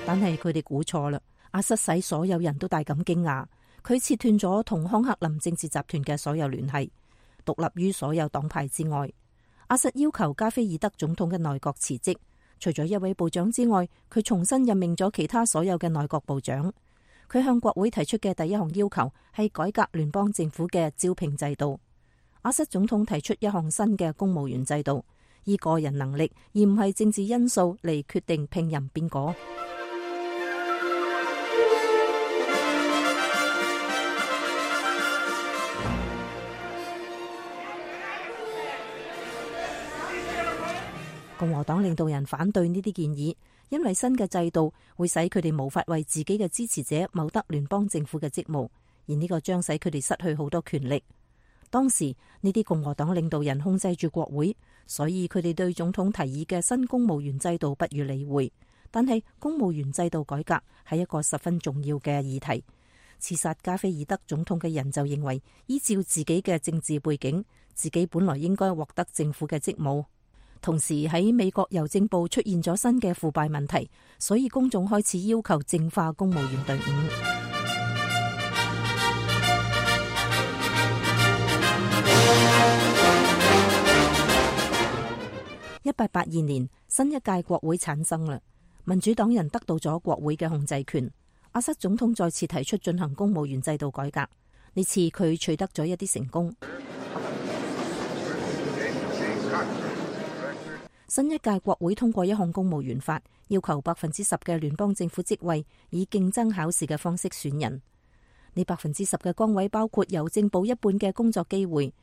但係佢哋估錯啦，阿瑟使所有人都大感驚訝。佢切斷咗同康克林政治集團嘅所有聯繫，獨立於所有黨派之外。阿瑟要求加菲爾德總統嘅內閣辭職，除咗一位部長之外，佢重新任命咗其他所有嘅內閣部長。佢向國會提出嘅第一項要求係改革聯邦政府嘅招聘制度。阿瑟總統提出一項新嘅公務員制度，以個人能力而唔係政治因素嚟決定聘任邊個。共和黨領導人反對呢啲建議，因為新嘅制度會使佢哋無法為自己嘅支持者謀得聯邦政府嘅職務，而呢個將使佢哋失去好多權力。當時呢啲共和黨領導人控制住國會，所以佢哋對總統提議嘅新公務員制度不予理會。但係公務員制度改革係一個十分重要嘅議題。刺殺加菲爾德總統嘅人就認為，依照自己嘅政治背景，自己本來應該獲得政府嘅職務。同時喺美國郵政部出現咗新嘅腐敗問題，所以公眾開始要求淨化公務員隊伍。一八八二年，新一屆國會產生啦，民主黨人得到咗國會嘅控制權。阿瑟總統再次提出進行公務員制度改革，呢次佢取得咗一啲成功。新一屆國會通過一項公務員法，要求百分之十嘅聯邦政府職位以競爭考試嘅方式選人。呢百分之十嘅崗位包括郵政部一半嘅工作機會，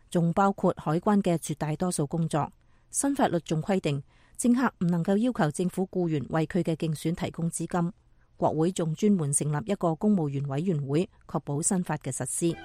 仲包括海關嘅絕大多數工作。新法律仲規定，政客唔能夠要求政府僱員為佢嘅競選提供資金。國會仲專門成立一個公務員委員會，確保新法嘅實施。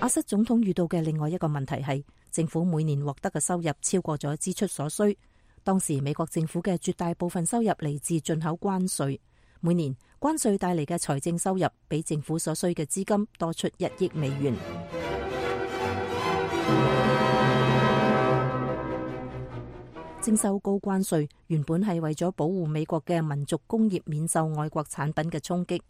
阿瑟總統遇到嘅另外一個問題係，政府每年獲得嘅收入超過咗支出所需。當時美國政府嘅絕大部分收入嚟自進口關稅，每年關稅帶嚟嘅財政收入比政府所需嘅資金多出一億美元。徵收高關稅原本係為咗保護美國嘅民族工業免受外國產品嘅衝擊。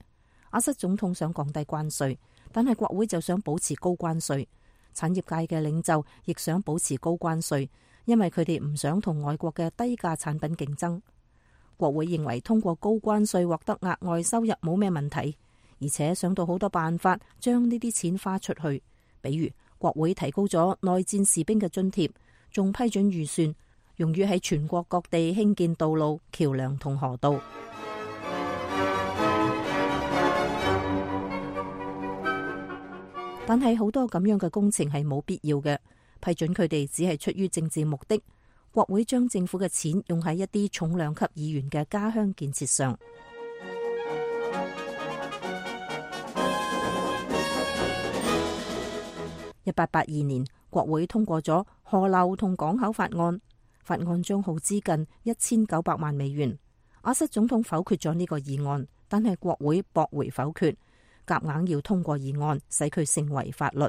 阿瑟總統想降低關稅，但係國會就想保持高關稅。產業界嘅領袖亦想保持高關稅，因為佢哋唔想同外國嘅低價產品競爭。國會認為通過高關稅獲得額外收入冇咩問題，而且想到好多辦法將呢啲錢花出去，比如國會提高咗內戰士兵嘅津貼，仲批准預算用於喺全國各地興建道路、橋樑同河道。但係好多咁樣嘅工程係冇必要嘅，批准佢哋只係出於政治目的。國會將政府嘅錢用喺一啲重量級議員嘅家鄉建設上。一八八二年，國會通過咗河流同港口法案，法案將耗資近一千九百萬美元。阿瑟總統否決咗呢個議案，但係國會駁回否決，夾硬要通過議案，使佢成為法律。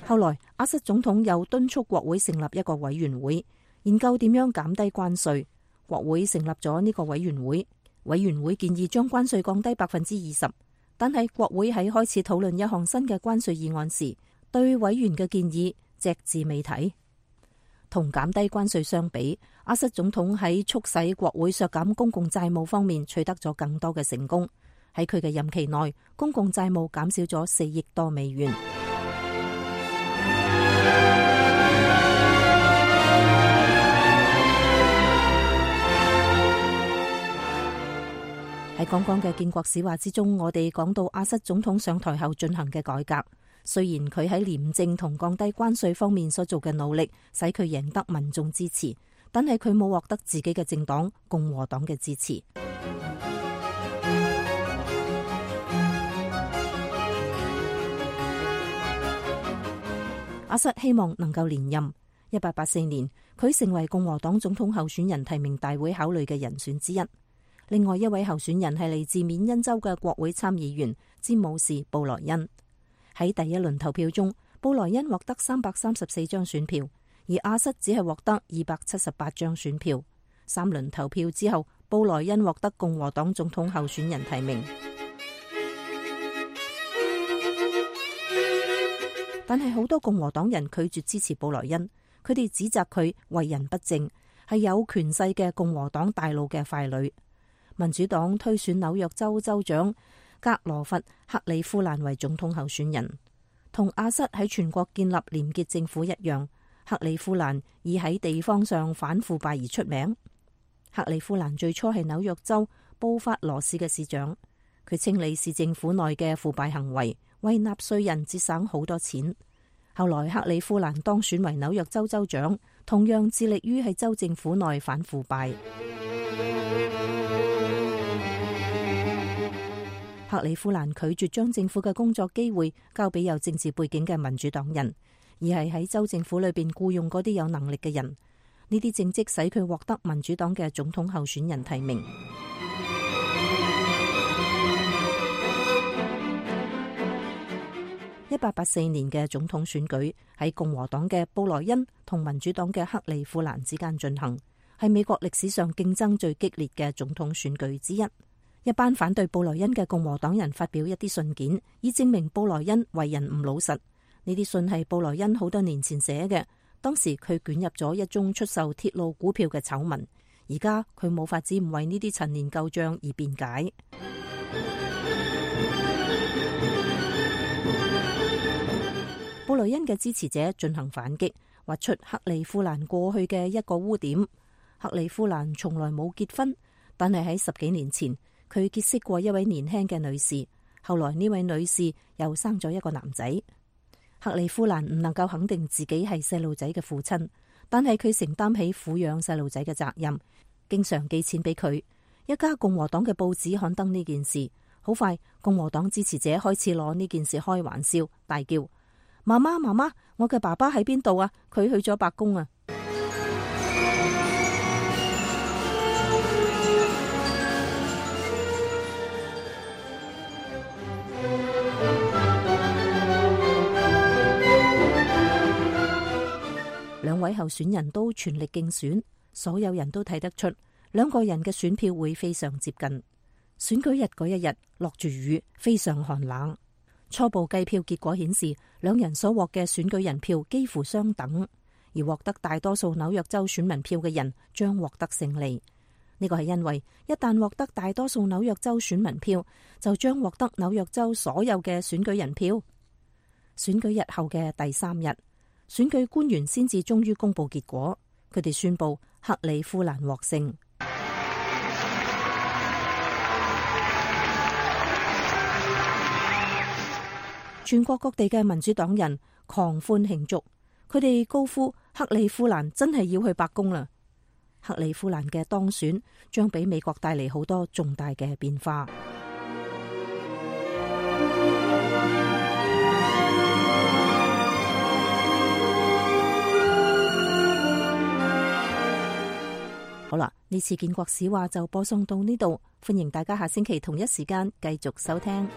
後來，阿瑟總統又敦促國會成立一個委員會，研究點樣減低關稅。國會成立咗呢個委員會，委員會建議將關稅降低百分之二十。但係國會喺開始討論一項新嘅關稅議案時，對委員嘅建議隻字未提。同減低關稅相比，阿瑟總統喺促使國會削減公共債務方面取得咗更多嘅成功。喺佢嘅任期內，公共債務減少咗四億多美元。喺剛剛嘅建國史話之中，我哋講到阿瑟總統上台後進行嘅改革。雖然佢喺廉政同降低關稅方面所做嘅努力，使佢贏得民眾支持，但係佢冇獲得自己嘅政黨共和黨嘅支持。阿瑟希望能夠連任。一八八四年，佢成為共和黨總統候選人提名大會考慮嘅人選之一。另外一位候選人係嚟自緬因州嘅國會參議員詹姆士布萊恩。喺第一輪投票中，布萊恩獲得三百三十四張選票，而阿瑟只係獲得二百七十八張選票。三輪投票之後，布萊恩獲得共和黨總統候選人提名。但係好多共和黨人拒絕支持布萊恩，佢哋指責佢為人不正，係有權勢嘅共和黨大佬嘅傀儡。民主黨推選紐約州州長格羅佛克里夫蘭為總統候選人。同阿瑟喺全國建立廉潔政府一樣，克里夫蘭以喺地方上反腐敗而出名。克里夫蘭最初係紐約州布法羅市嘅市長，佢清理市政府內嘅腐敗行為，為納稅人節省好多錢。後來克里夫蘭當選為紐約州州長，同樣致力於喺州政府內反腐敗。克里夫蘭拒絕將政府嘅工作機會交俾有政治背景嘅民主黨人，而係喺州政府裏邊僱用嗰啲有能力嘅人。呢啲政績使佢獲得民主黨嘅總統候選人提名。一八八四年嘅總統選舉喺共和黨嘅布萊恩同民主黨嘅克里夫蘭之間進行，係美國歷史上競爭最激烈嘅總統選舉之一。一班反對布萊恩嘅共和黨人發表一啲信件，以證明布萊恩為人唔老實。呢啲信係布萊恩好多年前寫嘅，當時佢捲入咗一宗出售鐵路股票嘅醜聞，而家佢冇法子唔為呢啲陳年舊賬而辯解。布萊恩嘅支持者進行反擊，挖出克里夫蘭過去嘅一個污點。克里夫蘭從來冇結婚，但係喺十幾年前，佢結識過一位年輕嘅女士。後來呢位女士又生咗一個男仔。克里夫蘭唔能夠肯定自己係細路仔嘅父親，但係佢承擔起撫養細路仔嘅責任，經常寄錢俾佢。一家共和黨嘅報紙刊登呢件事，好快共和黨支持者開始攞呢件事開玩笑，大叫：媽媽媽媽，我嘅爸爸喺邊度啊？佢去咗白宮啊！兩位候選人都全力競選，所有人都睇得出兩個人嘅選票會非常接近。選舉日嗰一日落住雨，非常寒冷。初步計票結果顯示，兩人所獲嘅選舉人票幾乎相等，而獲得大多數紐約州選民票嘅人將獲得勝利。呢個係因為一旦獲得大多數紐約州選民票，就將獲得紐約州所有嘅選舉人票。選舉日後嘅第三日，選舉官員先至終於公布結果，佢哋宣布克里夫蘭獲勝。全國各地嘅民主黨人狂歡慶祝，佢哋高呼克里夫蘭真係要去白宮啦！克里夫蘭嘅當選將俾美國帶嚟好多重大嘅變化。好啦，呢次建國史話就播送到呢度，歡迎大家下星期同一時間繼續收聽。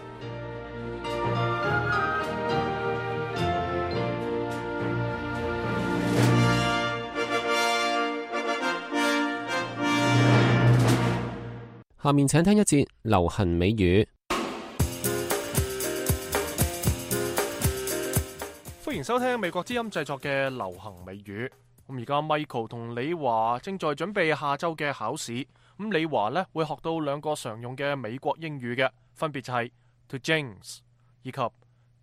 下面請聽一節流行美語。歡迎收聽美國之音製作嘅流行美語。咁而家 Michael 同李華正在準備下周嘅考試。咁李華呢會學到兩個常用嘅美國英語嘅，分別就係 to jinx 以及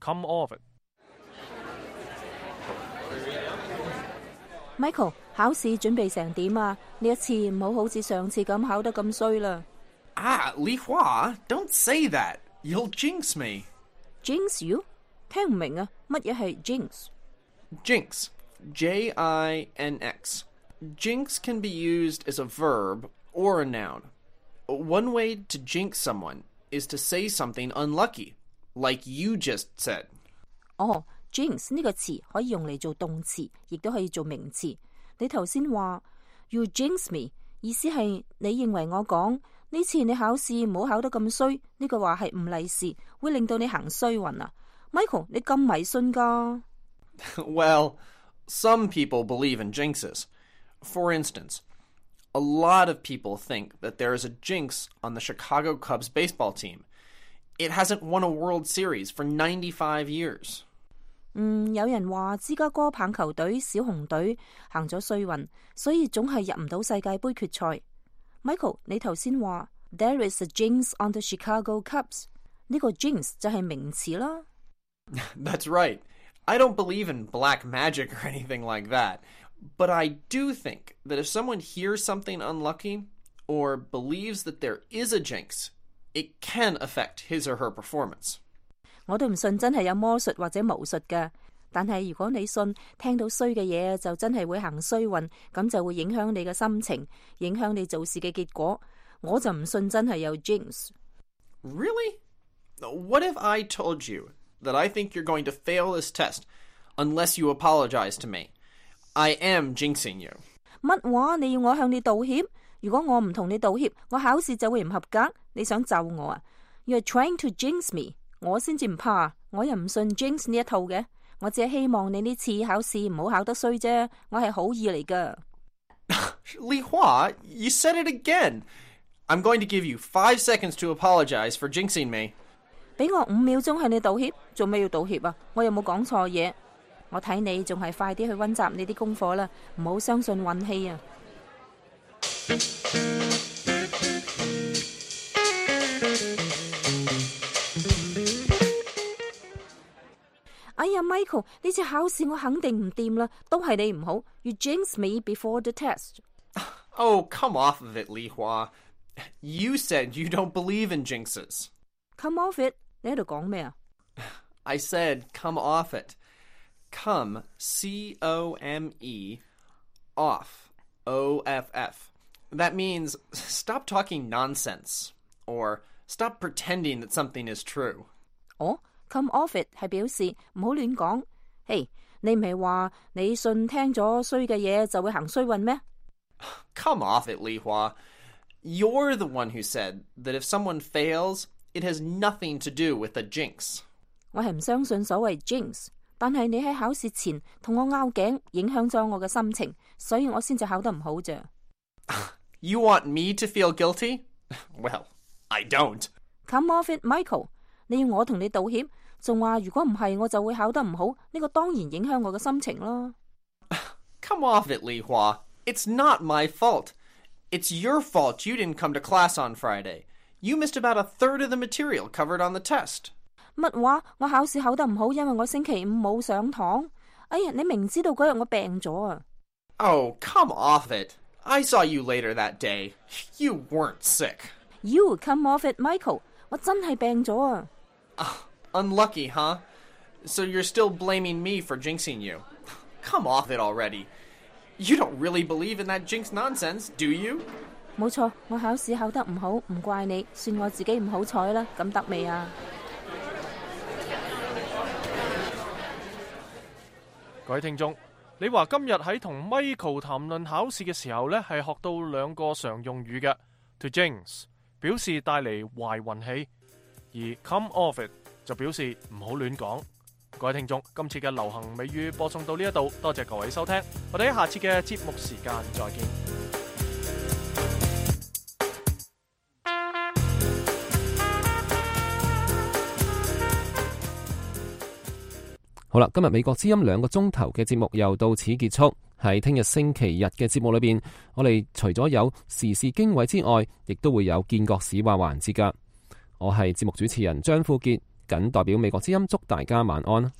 come off it。Michael， 考試準備成點啊？呢一次唔好好似上次咁考得咁衰啦。Ah, Li Hua, don't say that. You'll jinx me. Jinx you？ 聽唔明啊？乜嘢係 jinx？ Jinx, J I N X. Jinx can be used as a verb or a noun. One way to jinx someone is to say something unlucky, like you just said. 哦、oh,，jinx 呢個詞可以用嚟做動詞，亦都可以做名詞。你頭先話 you jinx me， 意思係你認為我講呢次你考試唔好考得咁衰，呢句話係唔利是，會令到你行衰運啊。Michael， 你咁迷信噶？ Well, some people believe in jinxes. For instance, a lot of people think that there is a jinx on the Chicago Cubs baseball team. It hasn't won a World Series for ninety-five years. 嗯，有人話芝加哥棒球隊小熊隊行咗衰運，所以總係入唔到世界盃決賽。Michael， 你頭先話 There is a jinx on the Chicago Cubs， 呢個 jinx 就係名詞啦。That's right. I don't believe in black magic or anything like that. But I do think that if someone hears something unlucky or believes that there is a jinx, it can affect his or her performance. 我都唔信真係有魔術或者巫術㗎，但係如果你信聽到衰嘅嘢就真係會行衰運，咁就會影響你嘅心情，影響你做事嘅結果。我就唔信真係有 jinx。 Really? What if I told you that I think you're going to fail this test unless you apologize to me? I am jinxing you. 乜話？你要我向你道歉？如果我唔同你道歉，我考試就會唔合格。你想咒我啊？ You're trying to jinx me。 我先至唔怕，我又唔信 jinx 呢一套嘅。我只係希望你呢次考試唔好考得衰啫。我係好意嚟㗎。Li Hua, you said it again. I'm going to give you five seconds to apologize for jinxing me. 俾我五秒鐘向你道歉，做咩要道歉啊？我有冇講錯嘢？我睇你仲係快啲去溫習你啲功課啦，唔好相信運氣啊！哎呀 ，Michael， 呢次考試我肯定唔掂啦，都係你唔好。You jinxed me before the test. Oh, come off of it, Li Hua. You said you don't believe in jinxes. Come off it. 你喺度講咩啊？ I said come off it. Come, C O M E, off, O F F. That means stop talking nonsense, or stop pretending that something is true. 哦 come off it 係表示唔好亂講。嘿，你唔係話你信聽咗衰嘅嘢就會行衰運咩？ Come off it, Li Hua. You're the one who said that if someone fails, it has nothing to do with a jinx. 我係唔相信所謂 jinx。但係你喺考試前同我拗頸，影響咗我嘅心情，所以我先至考得唔好啫。You want me to feel guilty? Well, I don't. Come off it, Michael. 你要我同你道歉，仲話如果唔係我就會考得唔好，呢個當然影響我嘅心情咯。Come off it, Li Hua. It's not my fault. It's your fault you didn't come to class on Friday. You missed about a third of the material covered on the test. 乜話？我考試考得唔好，因為我星期五冇上堂。哎呀，你明知道嗰日我病咗啊！ Oh, come off it. I saw you later that day. You weren't sick. You come off it, Michael. 我真係病咗啊！ Uh, unlucky, huh? So you're still blaming me for jinxing you. Come off it already. You don't really believe in that jinx nonsense, do you? 冇錯，我考試考得唔好，唔怪你，算我自己唔好彩啦。咁得未啊？各位聽眾，你話今日喺同 Michael 談論考試嘅時候呢，係學到兩個常用語嘅 to jinx 表示帶嚟壞運氣，而 come off it 就表示唔好亂講。各位聽眾，今次嘅流行美語播送到呢一度，多謝各位收聽，我哋喺下次嘅節目時間再見。好啦，今日美國之音兩個鐘頭嘅節目又到此結束。喺聽日星期日嘅節目裏邊，我哋除咗有時事經緯之外，亦都會有見國史話環節噶。我係節目主持人張富傑，謹代表美國之音祝大家晚安。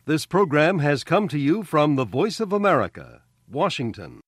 This program has come to you from the Voice of America, Washington.